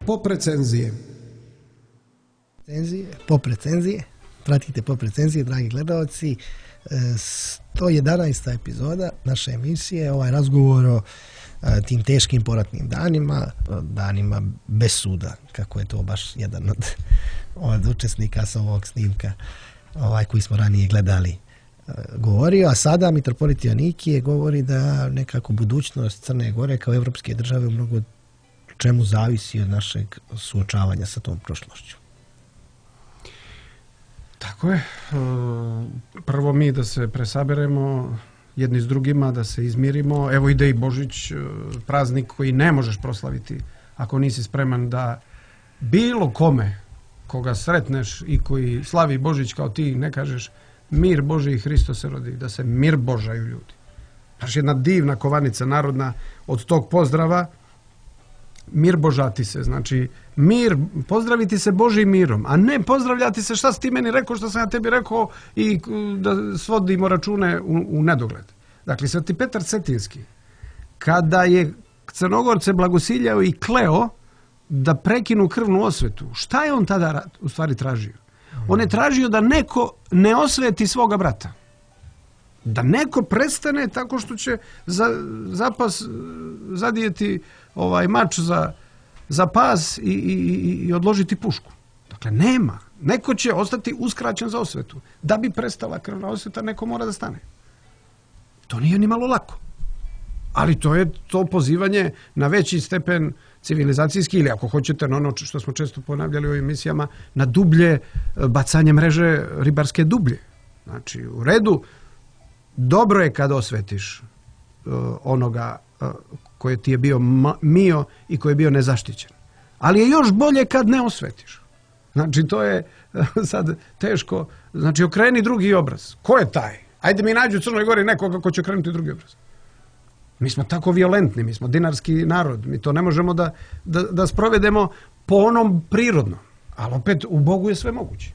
Pop recenzije. Recenzije, pop recenzije. Pratite pop recenzije, dragi gledalci. sto jedanaesta epizoda naše emisije, ovaj razgovor o tim teškim poratnim danima, danima bez suda, kako je to baš jedan od, od učesnika sa ovog snimka, ovaj koji smo ranije gledali, govorio. A sada mitropolit Joanikije govori da nekako budućnost Crne Gore kao evropske države u mnogo čemu zavisi od našeg suočavanja sa tom prošlošću. Tako je. Prvo mi da se presaberemo jedni s drugima, da se izmirimo. Evo ide i Božić, praznik koji ne možeš proslaviti ako nisi spreman da bilo kome koga sretneš i koji slavi Božić kao ti ne kažeš mir Boži i Hristo se rodi, da se mir božaju ljudi. Znaš, jedna divna kovanica narodna od tog pozdrava, mir božati se, znači mir, pozdraviti se Božim mirom, a ne pozdravljati se šta si ti meni rekao, šta sam ja tebi rekao i da svodimo račune u, u nedogled. Dakle, Sveti Petar Cetinski, kada je Crnogorce blagosiljao i kleo da prekinu krvnu osvetu, šta je on tada u stvari tražio? On je tražio da neko ne osveti svoga brata. Da neko prestane tako što će za, zapas zadijeti ovaj mač za, za pas i, i, i odložiti pušku. Dakle, nema. Neko će ostati uskraćen za osvetu. Da bi prestala krvna osveta, neko mora da stane. To nije ni malo lako. Ali to je to pozivanje na veći stepen civilizacijski ili ako hoćete na ono što smo često ponavljali u ovim emisijama, na dublje bacanje mreže ribarske dublje. Znači, u redu, dobro je kad osvetiš uh, onoga uh, koji ti je bio mio i koji je bio nezaštićen. Ali je još bolje kad ne osvetiš. Znači, to je uh, sad teško. Znači, okreni drugi obraz. Ko je taj? Ajde mi nađu u Crnoj Gori nekoga ko će okrenuti drugi obraz. Mi smo tako violentni, mi smo dinarski narod, mi to ne možemo da, da, da sprovedemo po onom prirodnom. Ali opet, u Bogu je sve moguće.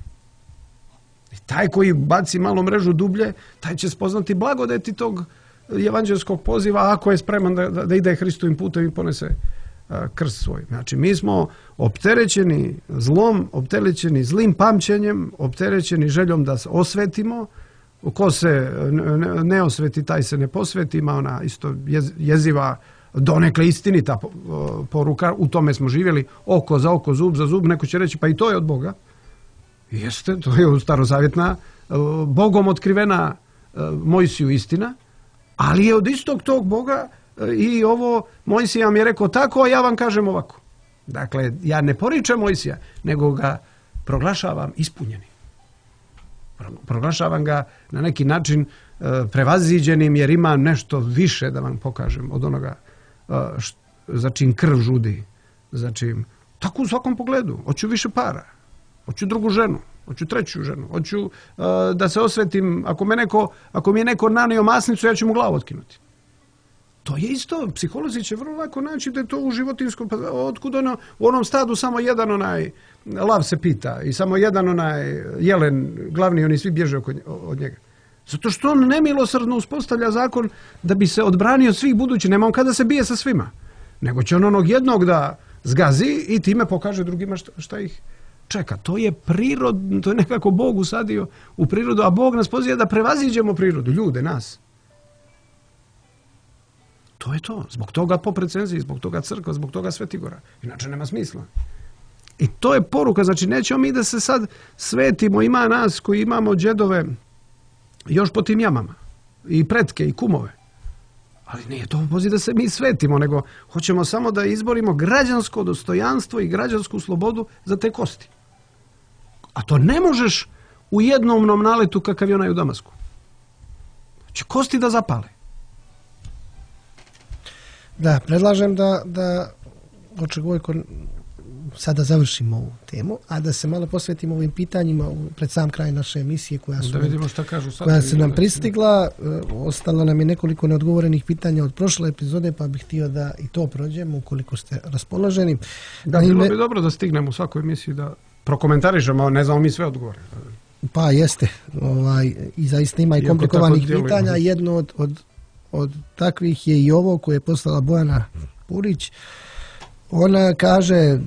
I Taj koji baci malo mrežu dublje, taj će spoznati blagodeti tog evanđelskog poziva ako je spreman da, da ide Hristovim putem i ponese a, krst svoj. Znači, mi smo opterećeni zlom, opterećeni zlim pamćenjem, opterećeni željom da se osvetimo. Ko se ne, ne osveti, taj se ne posveti. Ima ona isto jez, jeziva, donekle istinita poruka, u tome smo živjeli, oko za oko, zub za zub. Neko će reći, pa i to je od Boga. Jeste, to je starozavjetna, Bogom otkrivena Mojsiju istina, ali je od istog tog Boga i ovo Mojsija vam je rekao tako, a ja vam kažem ovako. Dakle, ja ne poričem Mojsija, nego ga proglašavam ispunjenim. Proglašavam ga na neki način prevaziđenim, jer ima nešto više da vam pokažem od onoga št, za čim krv žudi. Za čim, tako u svakom pogledu. Hoću više para. Hoću drugu ženu, hoću treću ženu, hoću uh, da se osvetim, ako, me neko, ako mi je neko nanio masnicu, ja ću mu glavu otkinuti. To je isto, psiholozi će vrlo lako naći da je to u životinskom, pa otkud ono, u onom stadu samo jedan onaj lav se pita i samo jedan onaj jelen, glavni, oni svi bježe oko, od njega. Zato što on nemilosrdno uspostavlja zakon da bi se odbranio od svih budućih, nema on kada se bije sa svima, nego će on onog jednog da zgazi i time pokaže drugima šta, šta ih čeka. To je prirodno, to je nekako Bog usadio u prirodu, a Bog nas poziva da prevaziđemo prirodu, ljude, nas. To je to. Zbog toga po precenziji, zbog toga crkva, zbog toga Svetigora. Inače nema smisla. I to je poruka, znači nećemo mi da se sad svetimo, ima nas koji imamo džedove još po tim jamama, i pretke, i kumove. Ali nije to poziv da se mi svetimo, nego hoćemo samo da izborimo građansko dostojanstvo i građansku slobodu za te kosti. A to ne možeš u jednom naletu kakav je onaj u Damasku. Će kosti da zapale. Da, predlažem da, da Očegojko sada završimo ovu temu, a da se malo posvetimo ovim pitanjima pred sam kraj naše emisije koja, su, da vidimo šta kažu sad, koja se nam pristigla. Ostalo nam je nekoliko neodgovorenih pitanja od prošle epizode, pa bih htio da i to prođemo ukoliko ste raspoloženi. Da, bilo bi dobro da stignemo u svakoj emisiji da prokomentarišemo, ne znamo mi sve odgovore. Pa jeste, ovaj, i zaista ima i Iako komplikovanih pitanja. Jedno od, od, od takvih je i ovo koje je poslala Bojana Purić. Ona kaže,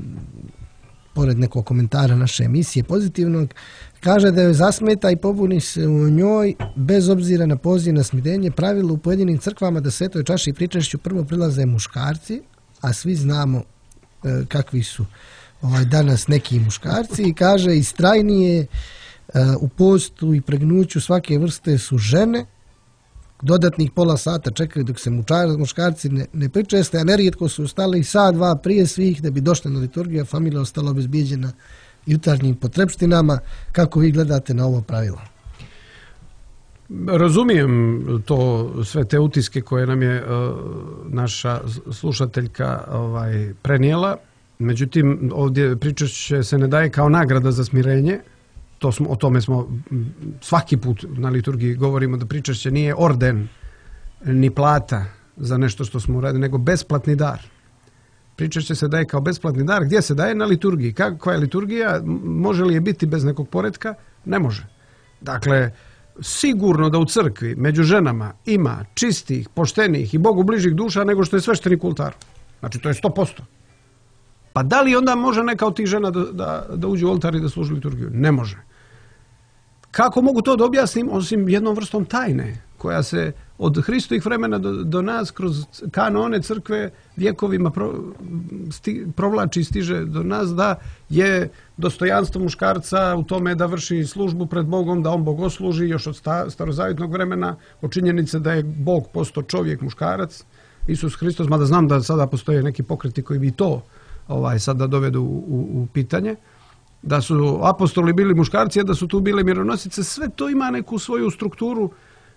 pored nekog komentara naše emisije pozitivnog, kaže da joj zasmeta i pobuni se u njoj, bez obzira na poziv na smirenje, pravilo u pojedinim crkvama da svetoj čaši i pričešću prvo prilaze muškarci, a svi znamo e, kakvi su ovaj, danas neki muškarci, i kaže istrajnije e, u postu i pregnuću svake vrste su žene, dodatnih pola sata čekaju dok se mučar, muškarci ne, ne pričeste, a nerijetko su ostali sat, dva prije svih da bi došli na liturgiju, a familija ostala obezbijeđena jutarnjim potrebštinama. Kako vi gledate na ovo pravilo? Razumijem to, sve te utiske koje nam je uh, naša slušateljka ovaj, prenijela. Međutim, ovdje pričešće se ne daje kao nagrada za smirenje. To smo, o tome smo svaki put na liturgiji govorimo, da pričešće nije orden ni plata za nešto što smo uradili, nego besplatni dar. Pričešće se daje kao besplatni dar. Gdje se daje? Na liturgiji. Kakva je liturgija? Može li je biti bez nekog poretka? Ne može. Dakle, sigurno da u crkvi među ženama ima čistih, poštenih i Bogu bližih duša nego što je sveštenik u oltaru. Znači, to je sto posto. Pa da li onda može neka od tih žena da, da, da uđe u oltar i da služi liturgiju? Ne može. Kako mogu to da objasnim, osim jednom vrstom tajne, koja se od Hristovih vremena do, do nas kroz kanone crkve vjekovima pro, sti, provlači i stiže do nas, da je dostojanstvo muškarca u tome da vrši službu pred Bogom, da on bogosluži još od sta, starozavjetnog vremena, od činjenice da je Bog postao čovjek, muškarac, Isus Hristos, mada znam da sada postoje neki pokreti koji bi to ovaj, sad da dovedu u, u, u pitanje, da su apostoli bili muškarci, a da su tu bile mironosice. Sve to ima neku svoju strukturu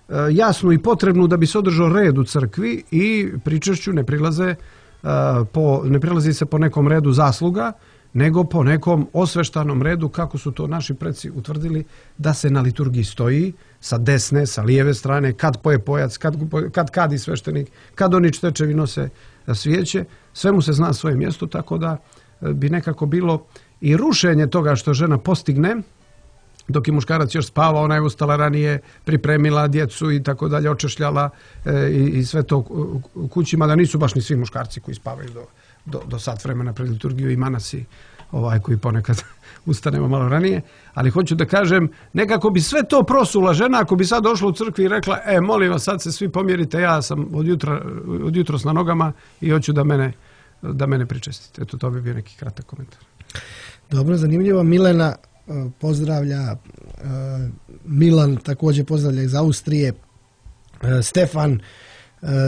e, jasnu i potrebnu da bi se održao red u crkvi, i pričešću ne prilaze e, po, ne prilazi se po nekom redu zasluga, nego po nekom osveštanom redu, kako su to naši preci utvrdili, da se na liturgiji stoji sa desne, sa lijeve strane, kad poje pojac, kad, kad kadi sveštenik, kad oni čtečevi nose svijeće, sve mu se zna svoje mjesto, tako da bi nekako bilo i rušenje toga što žena postigne dok je muškarac još spava, ona je ustala ranije, pripremila djecu i tako dalje, očešljala e, i, i sve to u kućima, da nisu baš ni svi muškarci koji spavaju do, do, do sat vremena pred liturgiju i manasi ovaj, koji ponekad ustanemo malo ranije. Ali hoću da kažem, nekako bi sve to prosula žena ako bi sad došla u crkvi i rekla, e, molim vas, sad se svi pomjerite, ja sam od, jutra, od jutros na nogama i hoću da mene, da mene pričestite. Eto, to bi bio neki kratak komentar. Dobro, zanimljivo. Milena pozdravlja, Milan također pozdravlja iz Austrije, Stefan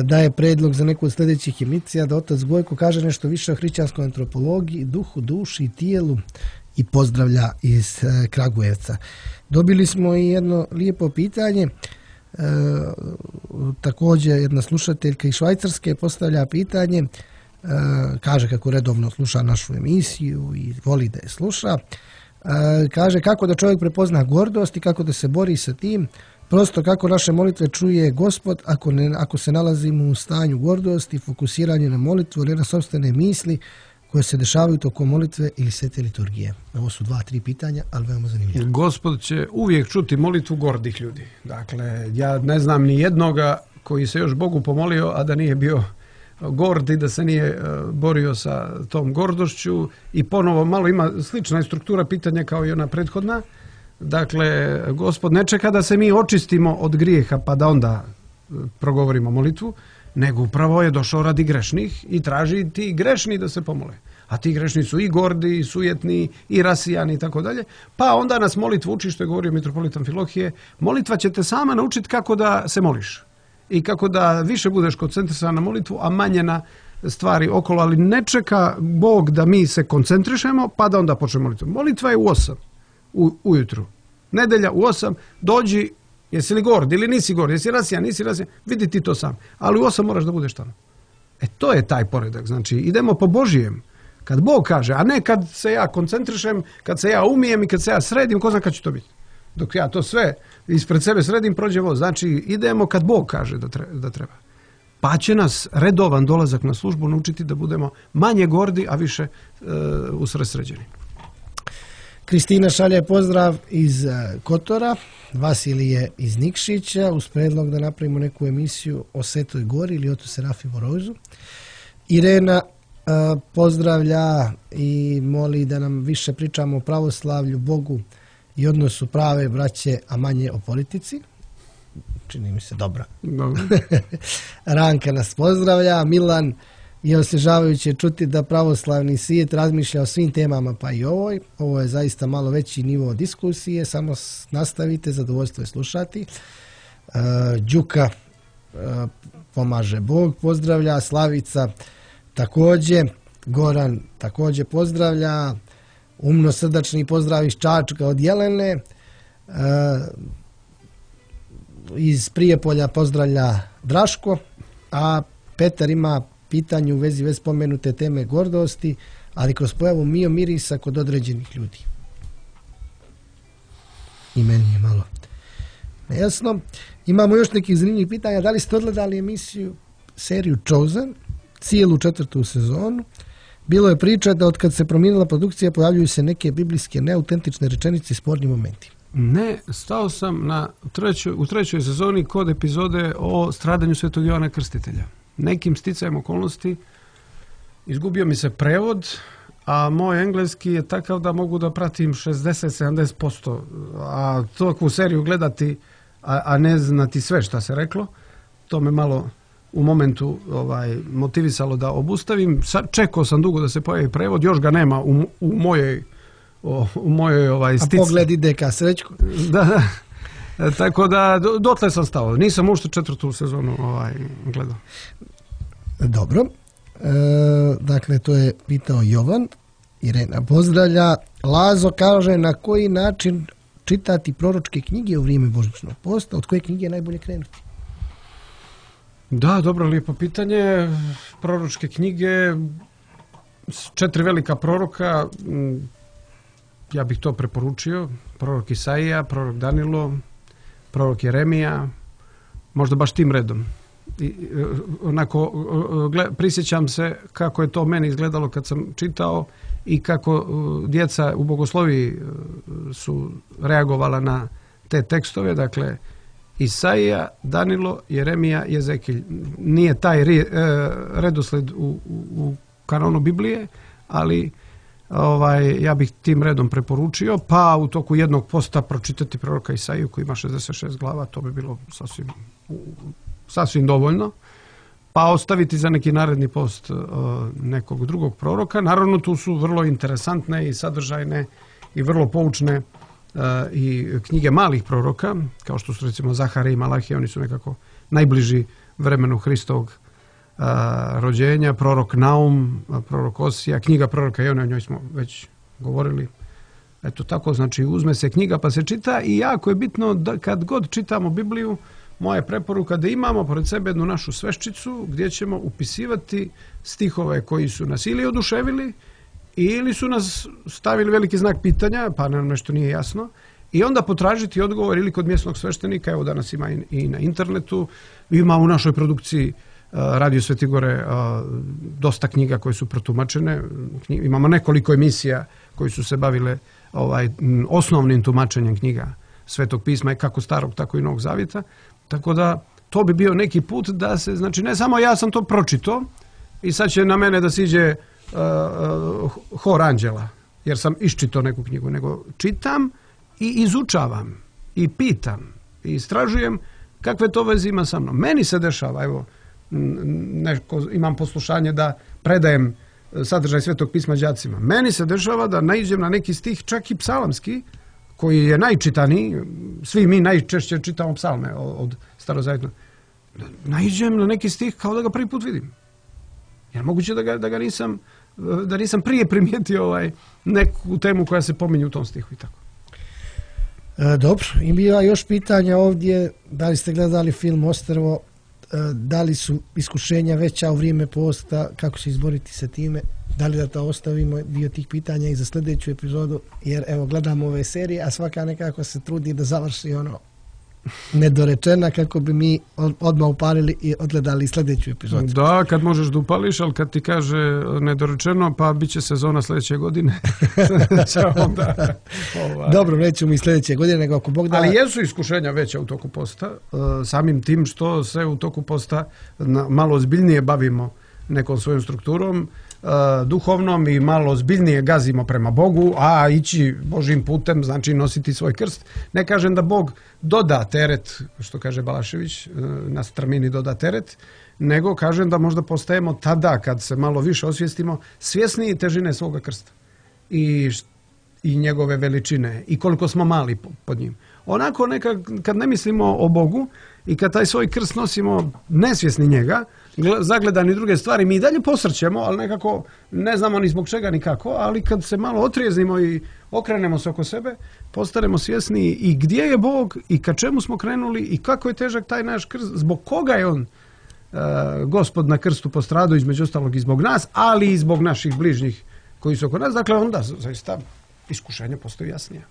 daje predlog za neku od sljedećih emisija, da otac Gojko kaže nešto više o hrišćanskoj antropologiji, duhu, duši i tijelu, i pozdravlja iz Kragujevca. Dobili smo i jedno lijepo pitanje, e, također jedna slušateljka iz Švajcarske postavlja pitanje, e, kaže kako redovno sluša našu emisiju i voli da je sluša. Kaže kako da čovjek prepozna gordost i kako da se bori sa tim, prosto kako naše molitve čuje Gospod ako, ne, ako se nalazimo u stanju gordosti, fokusiranje na molitvu, ne na sopstvene misli koje se dešavaju tokom molitve ili svete liturgije. Ovo su dva, tri pitanja, ali veoma zanimljivo. Gospod će uvijek čuti molitvu gordih ljudi. Dakle, ja ne znam ni jednoga koji se još Bogu pomolio, a da nije bio gord i da se nije borio sa tom gordošću, i ponovo malo ima slična struktura pitanja kao i ona prethodna. Dakle, Gospod ne čeka da se mi očistimo od grijeha pa da onda progovorimo molitvu, nego upravo je došao radi grešnih i traži ti grešni da se pomole. A ti grešni su i gordi, i sujetni, i rasijani i tako dalje. Pa onda nas molitvu uči, što je govorio mitropolit Amfilohije, molitva će te sama naučiti kako da se moliš i kako da više budeš koncentrisan na molitvu, a manje na stvari okolo, ali ne čeka Bog da mi se koncentrišemo pa da onda počnemo molitvu. Molitva je u osam u, ujutru. Nedelja u osam, dođi, jesi li gord ili nisi gord, jesi rasijan, nisi rasijan, vidi ti to sam. Ali u osam moraš da budeš tamo. E to je taj poredak. Znači idemo po Božijem. Kad Bog kaže, a ne kad se ja koncentrišem, kad se ja umijem i kad se ja sredim, ko zna kad će to biti. Dok ja to sve ispred sebe sredim, prođe voz. Znači idemo kad Bog kaže da treba. Da treba. Pa će nas redovan dolazak na službu naučiti da budemo manje gordi, a više e, usredsređeni. Kristina šalje pozdrav iz Kotora, Vasilije iz Nikšića, uz predlog da napravimo neku emisiju o Svetoj Gori ili o Serafimo Rozu. Irena uh, pozdravlja i moli da nam više pričamo o pravoslavlju, Bogu i odnosu prave braće, a manje o politici. Čini mi se dobra. Dobro. Ranka nas pozdravlja, Milan je osježavajuće čuti da pravoslavni svijet razmišlja o svim temama, pa i ovoj. Ovo je zaista malo veći nivo diskusije, samo nastavite, zadovoljstvo je slušati. Uh, Đuka uh, pomaže Bog, pozdravlja, Slavica također, Goran također pozdravlja, umno srdačni pozdrav iz Čačka od Jelene, uh, iz Prijepolja pozdravlja Draško, a Petar ima pitanje u vezi već spomenute teme gordosti, ali kroz pojavu mio mirisa kod određenih ljudi. I meni je malo nejasno. Imamo još nekih zanimljivih pitanja. Da li ste odgledali emisiju, seriju Chosen, cijelu četvrtu sezonu? Bilo je priča da od kad se promijenila produkcija pojavljuju se neke biblijske neautentične rečenice i sporni momenti. Ne, stao sam na trećoj, u trećoj sezoni kod epizode o stradanju Svetog Jovana Krstitelja. Nekim sticajem okolnosti izgubio mi se prevod, a moj engleski je takav da mogu da pratim šezdeset do sedamdeset posto, a takvu seriju gledati, a, a ne znati sve šta se reklo, to me malo u momentu ovaj, motivisalo da obustavim. Sa, čekao sam dugo da se pojavi prevod, još ga nema u, u mojoj o, u mojoj ovaj, stici. A pogled ide ka Srećku. Da, da. E, tako da, do, dotle sam stao. Nisam ušte četvrtu sezonu ovaj, gledao. Dobro. E, dakle, to je pitao Jovan. Irena pozdravlja. Lazo kaže na koji način čitati proročke knjige u vrijeme božićnog posta. Od koje knjige je najbolje krenuti? Da, dobro, lijepo pitanje. Proročke knjige, četiri velika proroka, ja bih to preporučio. Prorok Isaija, prorok Danilo, prorok Jeremija, možda baš tim redom. i, onako, gled, prisjećam se kako je to meni izgledalo kad sam čitao i kako djeca u bogosloviji su reagovala na te tekstove, dakle Isaija, Danilo, Jeremija, Jezekilj. Nije taj redosled u, u, u kanonu Biblije, ali ovaj, ja bih tim redom preporučio, pa u toku jednog posta pročitati proroka Isaiju koji ima šezdeset šest glava, to bi bilo sasvim, sasvim dovoljno. Pa ostaviti za neki naredni post uh, nekog drugog proroka. Naravno, tu su vrlo interesantne i sadržajne i vrlo poučne uh, i knjige malih proroka, kao što su recimo Zahare i Malahije, oni su nekako najbliži vremenu Hristovog uh, rođenja. Prorok Naum, prorok Osija, knjiga proroka Jone, o njoj smo već govorili. Eto tako, znači uzme se knjiga pa se čita i jako je bitno da kad god čitamo Bibliju, moja preporuka da imamo pored sebe jednu našu sveščicu gdje ćemo upisivati stihove koji su nas ili oduševili ili su nas stavili veliki znak pitanja, pa nam nešto nije jasno, i onda potražiti odgovor ili kod mjesnog sveštenika, evo danas ima i, i na internetu, ima u našoj produkciji uh, Radio Svetigore uh, dosta knjiga koje su protumačene, Knji, imamo nekoliko emisija koji su se bavile ovaj, osnovnim tumačenjem knjiga Svetog pisma, kako starog, tako i Novog zavjeta. Tako da to bi bio neki put da se, znači ne samo ja sam to pročito i sad će na mene da siđe uh, uh, hor anđela, jer sam iščitao neku knjigu, nego čitam i izučavam i pitam i istražujem kakve to veze ima sa mnom. Meni se dešava, evo, neko, imam poslušanje da predajem sadržaj Svetog pisma đacima. Meni se dešava da naiđem na neki stih, čak i psalamski, koji je najčitaniji, svi mi najčešće čitamo psalme od starozavjetnog, naiđem na neki stih kao da ga prvi put vidim. Jer moguće da ga, da ga nisam, da nisam prije primijetio ovaj, neku temu koja se pominje u tom stihu i tako. E, dobro, i bila još pitanja ovdje, da li ste gledali film Ostrvo, e, da li su iskušenja veća u vrijeme posta, kako se izboriti sa time, da li da to ostavimo dio tih pitanja i za sljedeću epizodu, jer evo gledamo ove serije, a svaka nekako se trudi da završi ono nedorečena kako bi mi odmah upalili i odgledali sljedeću epizodu. Da, kad možeš da upališ, ali kad ti kaže nedorečeno, pa bit će sezona sljedeće godine. onda, ovaj. Dobro, nećemo i sljedeće godine, nego ako Bog da... Ali jesu iskušenja veća u toku posta, samim tim što se u toku posta malo ozbiljnije bavimo nekom svojom strukturom, duhovnom i malo ozbiljnije gazimo prema Bogu, a ići Božim putem znači nositi svoj krst. Ne kažem da Bog doda teret, što kaže Balašević, na strmini doda teret, nego kažem da možda postajemo tada, kad se malo više osvijestimo, svjesniji težine svoga krsta i, i njegove veličine i koliko smo mali pod njim. Onako neka, kad ne mislimo o Bogu i kad taj svoj krst nosimo nesvjesni njega, zagledani druge stvari, mi i dalje posrćemo, ali nekako ne znamo ni zbog čega ni kako, ali kad se malo otrijeznimo i okrenemo se oko sebe, postanemo svjesni i gdje je Bog i ka čemu smo krenuli i kako je težak taj naš krst, zbog koga je on uh, Gospod na krstu postradao, između ostalog i zbog nas, ali i zbog naših bližnjih koji su oko nas. Dakle, onda zaista iskušenje postoji jasnije.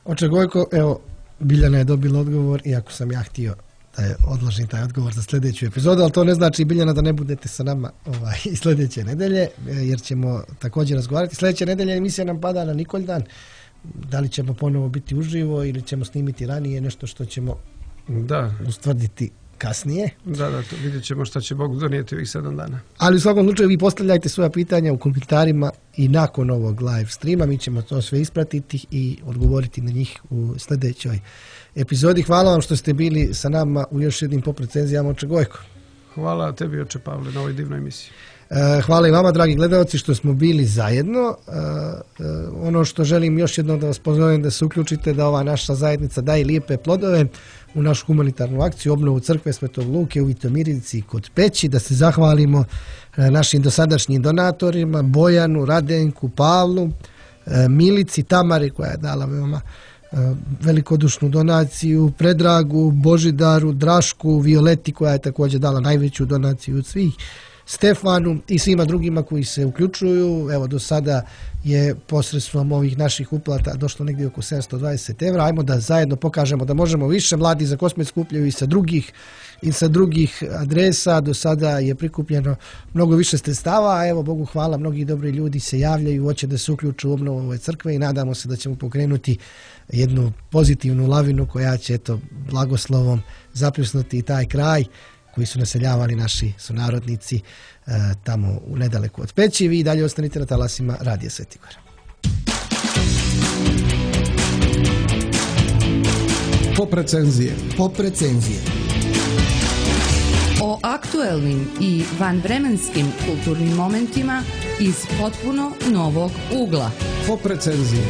Oče Gojko, evo, Biljana je dobila odgovor, iako sam ja htio da je odložim taj odgovor za sljedeću epizodu, ali to ne znači, Biljana, da ne budete sa nama ovaj, i sljedeće nedelje, jer ćemo također razgovarati. Sljedeće nedelje emisija nam pada na Nikoldan. Da li ćemo ponovo biti uživo ili ćemo snimiti ranije, nešto što ćemo da ustvrditi kasnije. Da, da, to vidjet ćemo šta će Bog donijeti ovih sedam dana. Ali u svakom slučaju vi postavljajte svoja pitanja u komentarima i nakon ovog live streama mi ćemo to sve ispratiti i odgovoriti na njih u sljedećoj epizodi. Hvala vam što ste bili sa nama u još jednim Pop recenzijama, oče Gojko. Hvala tebi, oče Pavle, na ovoj divnoj emisiji. Hvala i vama, dragi gledalci, što smo bili zajedno. Ono što želim još jednom da vas pozovem da se uključite, da ova naša zajednica daje lijepe plodove u našu humanitarnu akciju obnovu crkve Svetog Luke u Vitomirici kod Peći, da se zahvalimo našim dosadašnjim donatorima, Bojanu, Radenku, Pavlu, Milici, Tamari koja je dala veoma velikodušnu donaciju, Predragu, Božidaru, Drašku, Violeti koja je također dala najveću donaciju od svih. Stefanu i svima drugima koji se uključuju. Evo, do sada je posredstvom ovih naših uplata došlo negdje oko sedamsto dvadeset evra. Ajmo da zajedno pokažemo da možemo više. Mladi za Kosmet skupljaju i sa drugih i sa drugih adresa. Do sada je prikupljeno mnogo više sredstava, a evo, Bogu hvala, mnogi dobri ljudi se javljaju, hoće da se uključu u obnovu ove crkve i nadamo se da ćemo pokrenuti jednu pozitivnu lavinu koja će, eto, blagoslovom zapljusnuti i taj kraj koji su naseljavali naši sunarodnici e, tamo u nedaleku od Peći. Vi i dalje ostanite na talasima Radija Sveti Gor. Pop recenzije. Pop recenzije. O aktuelnim i vanvremenskim kulturnim momentima iz potpuno novog ugla. Pop recenzije.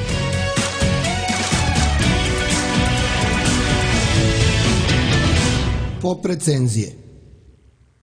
Pop recenzije.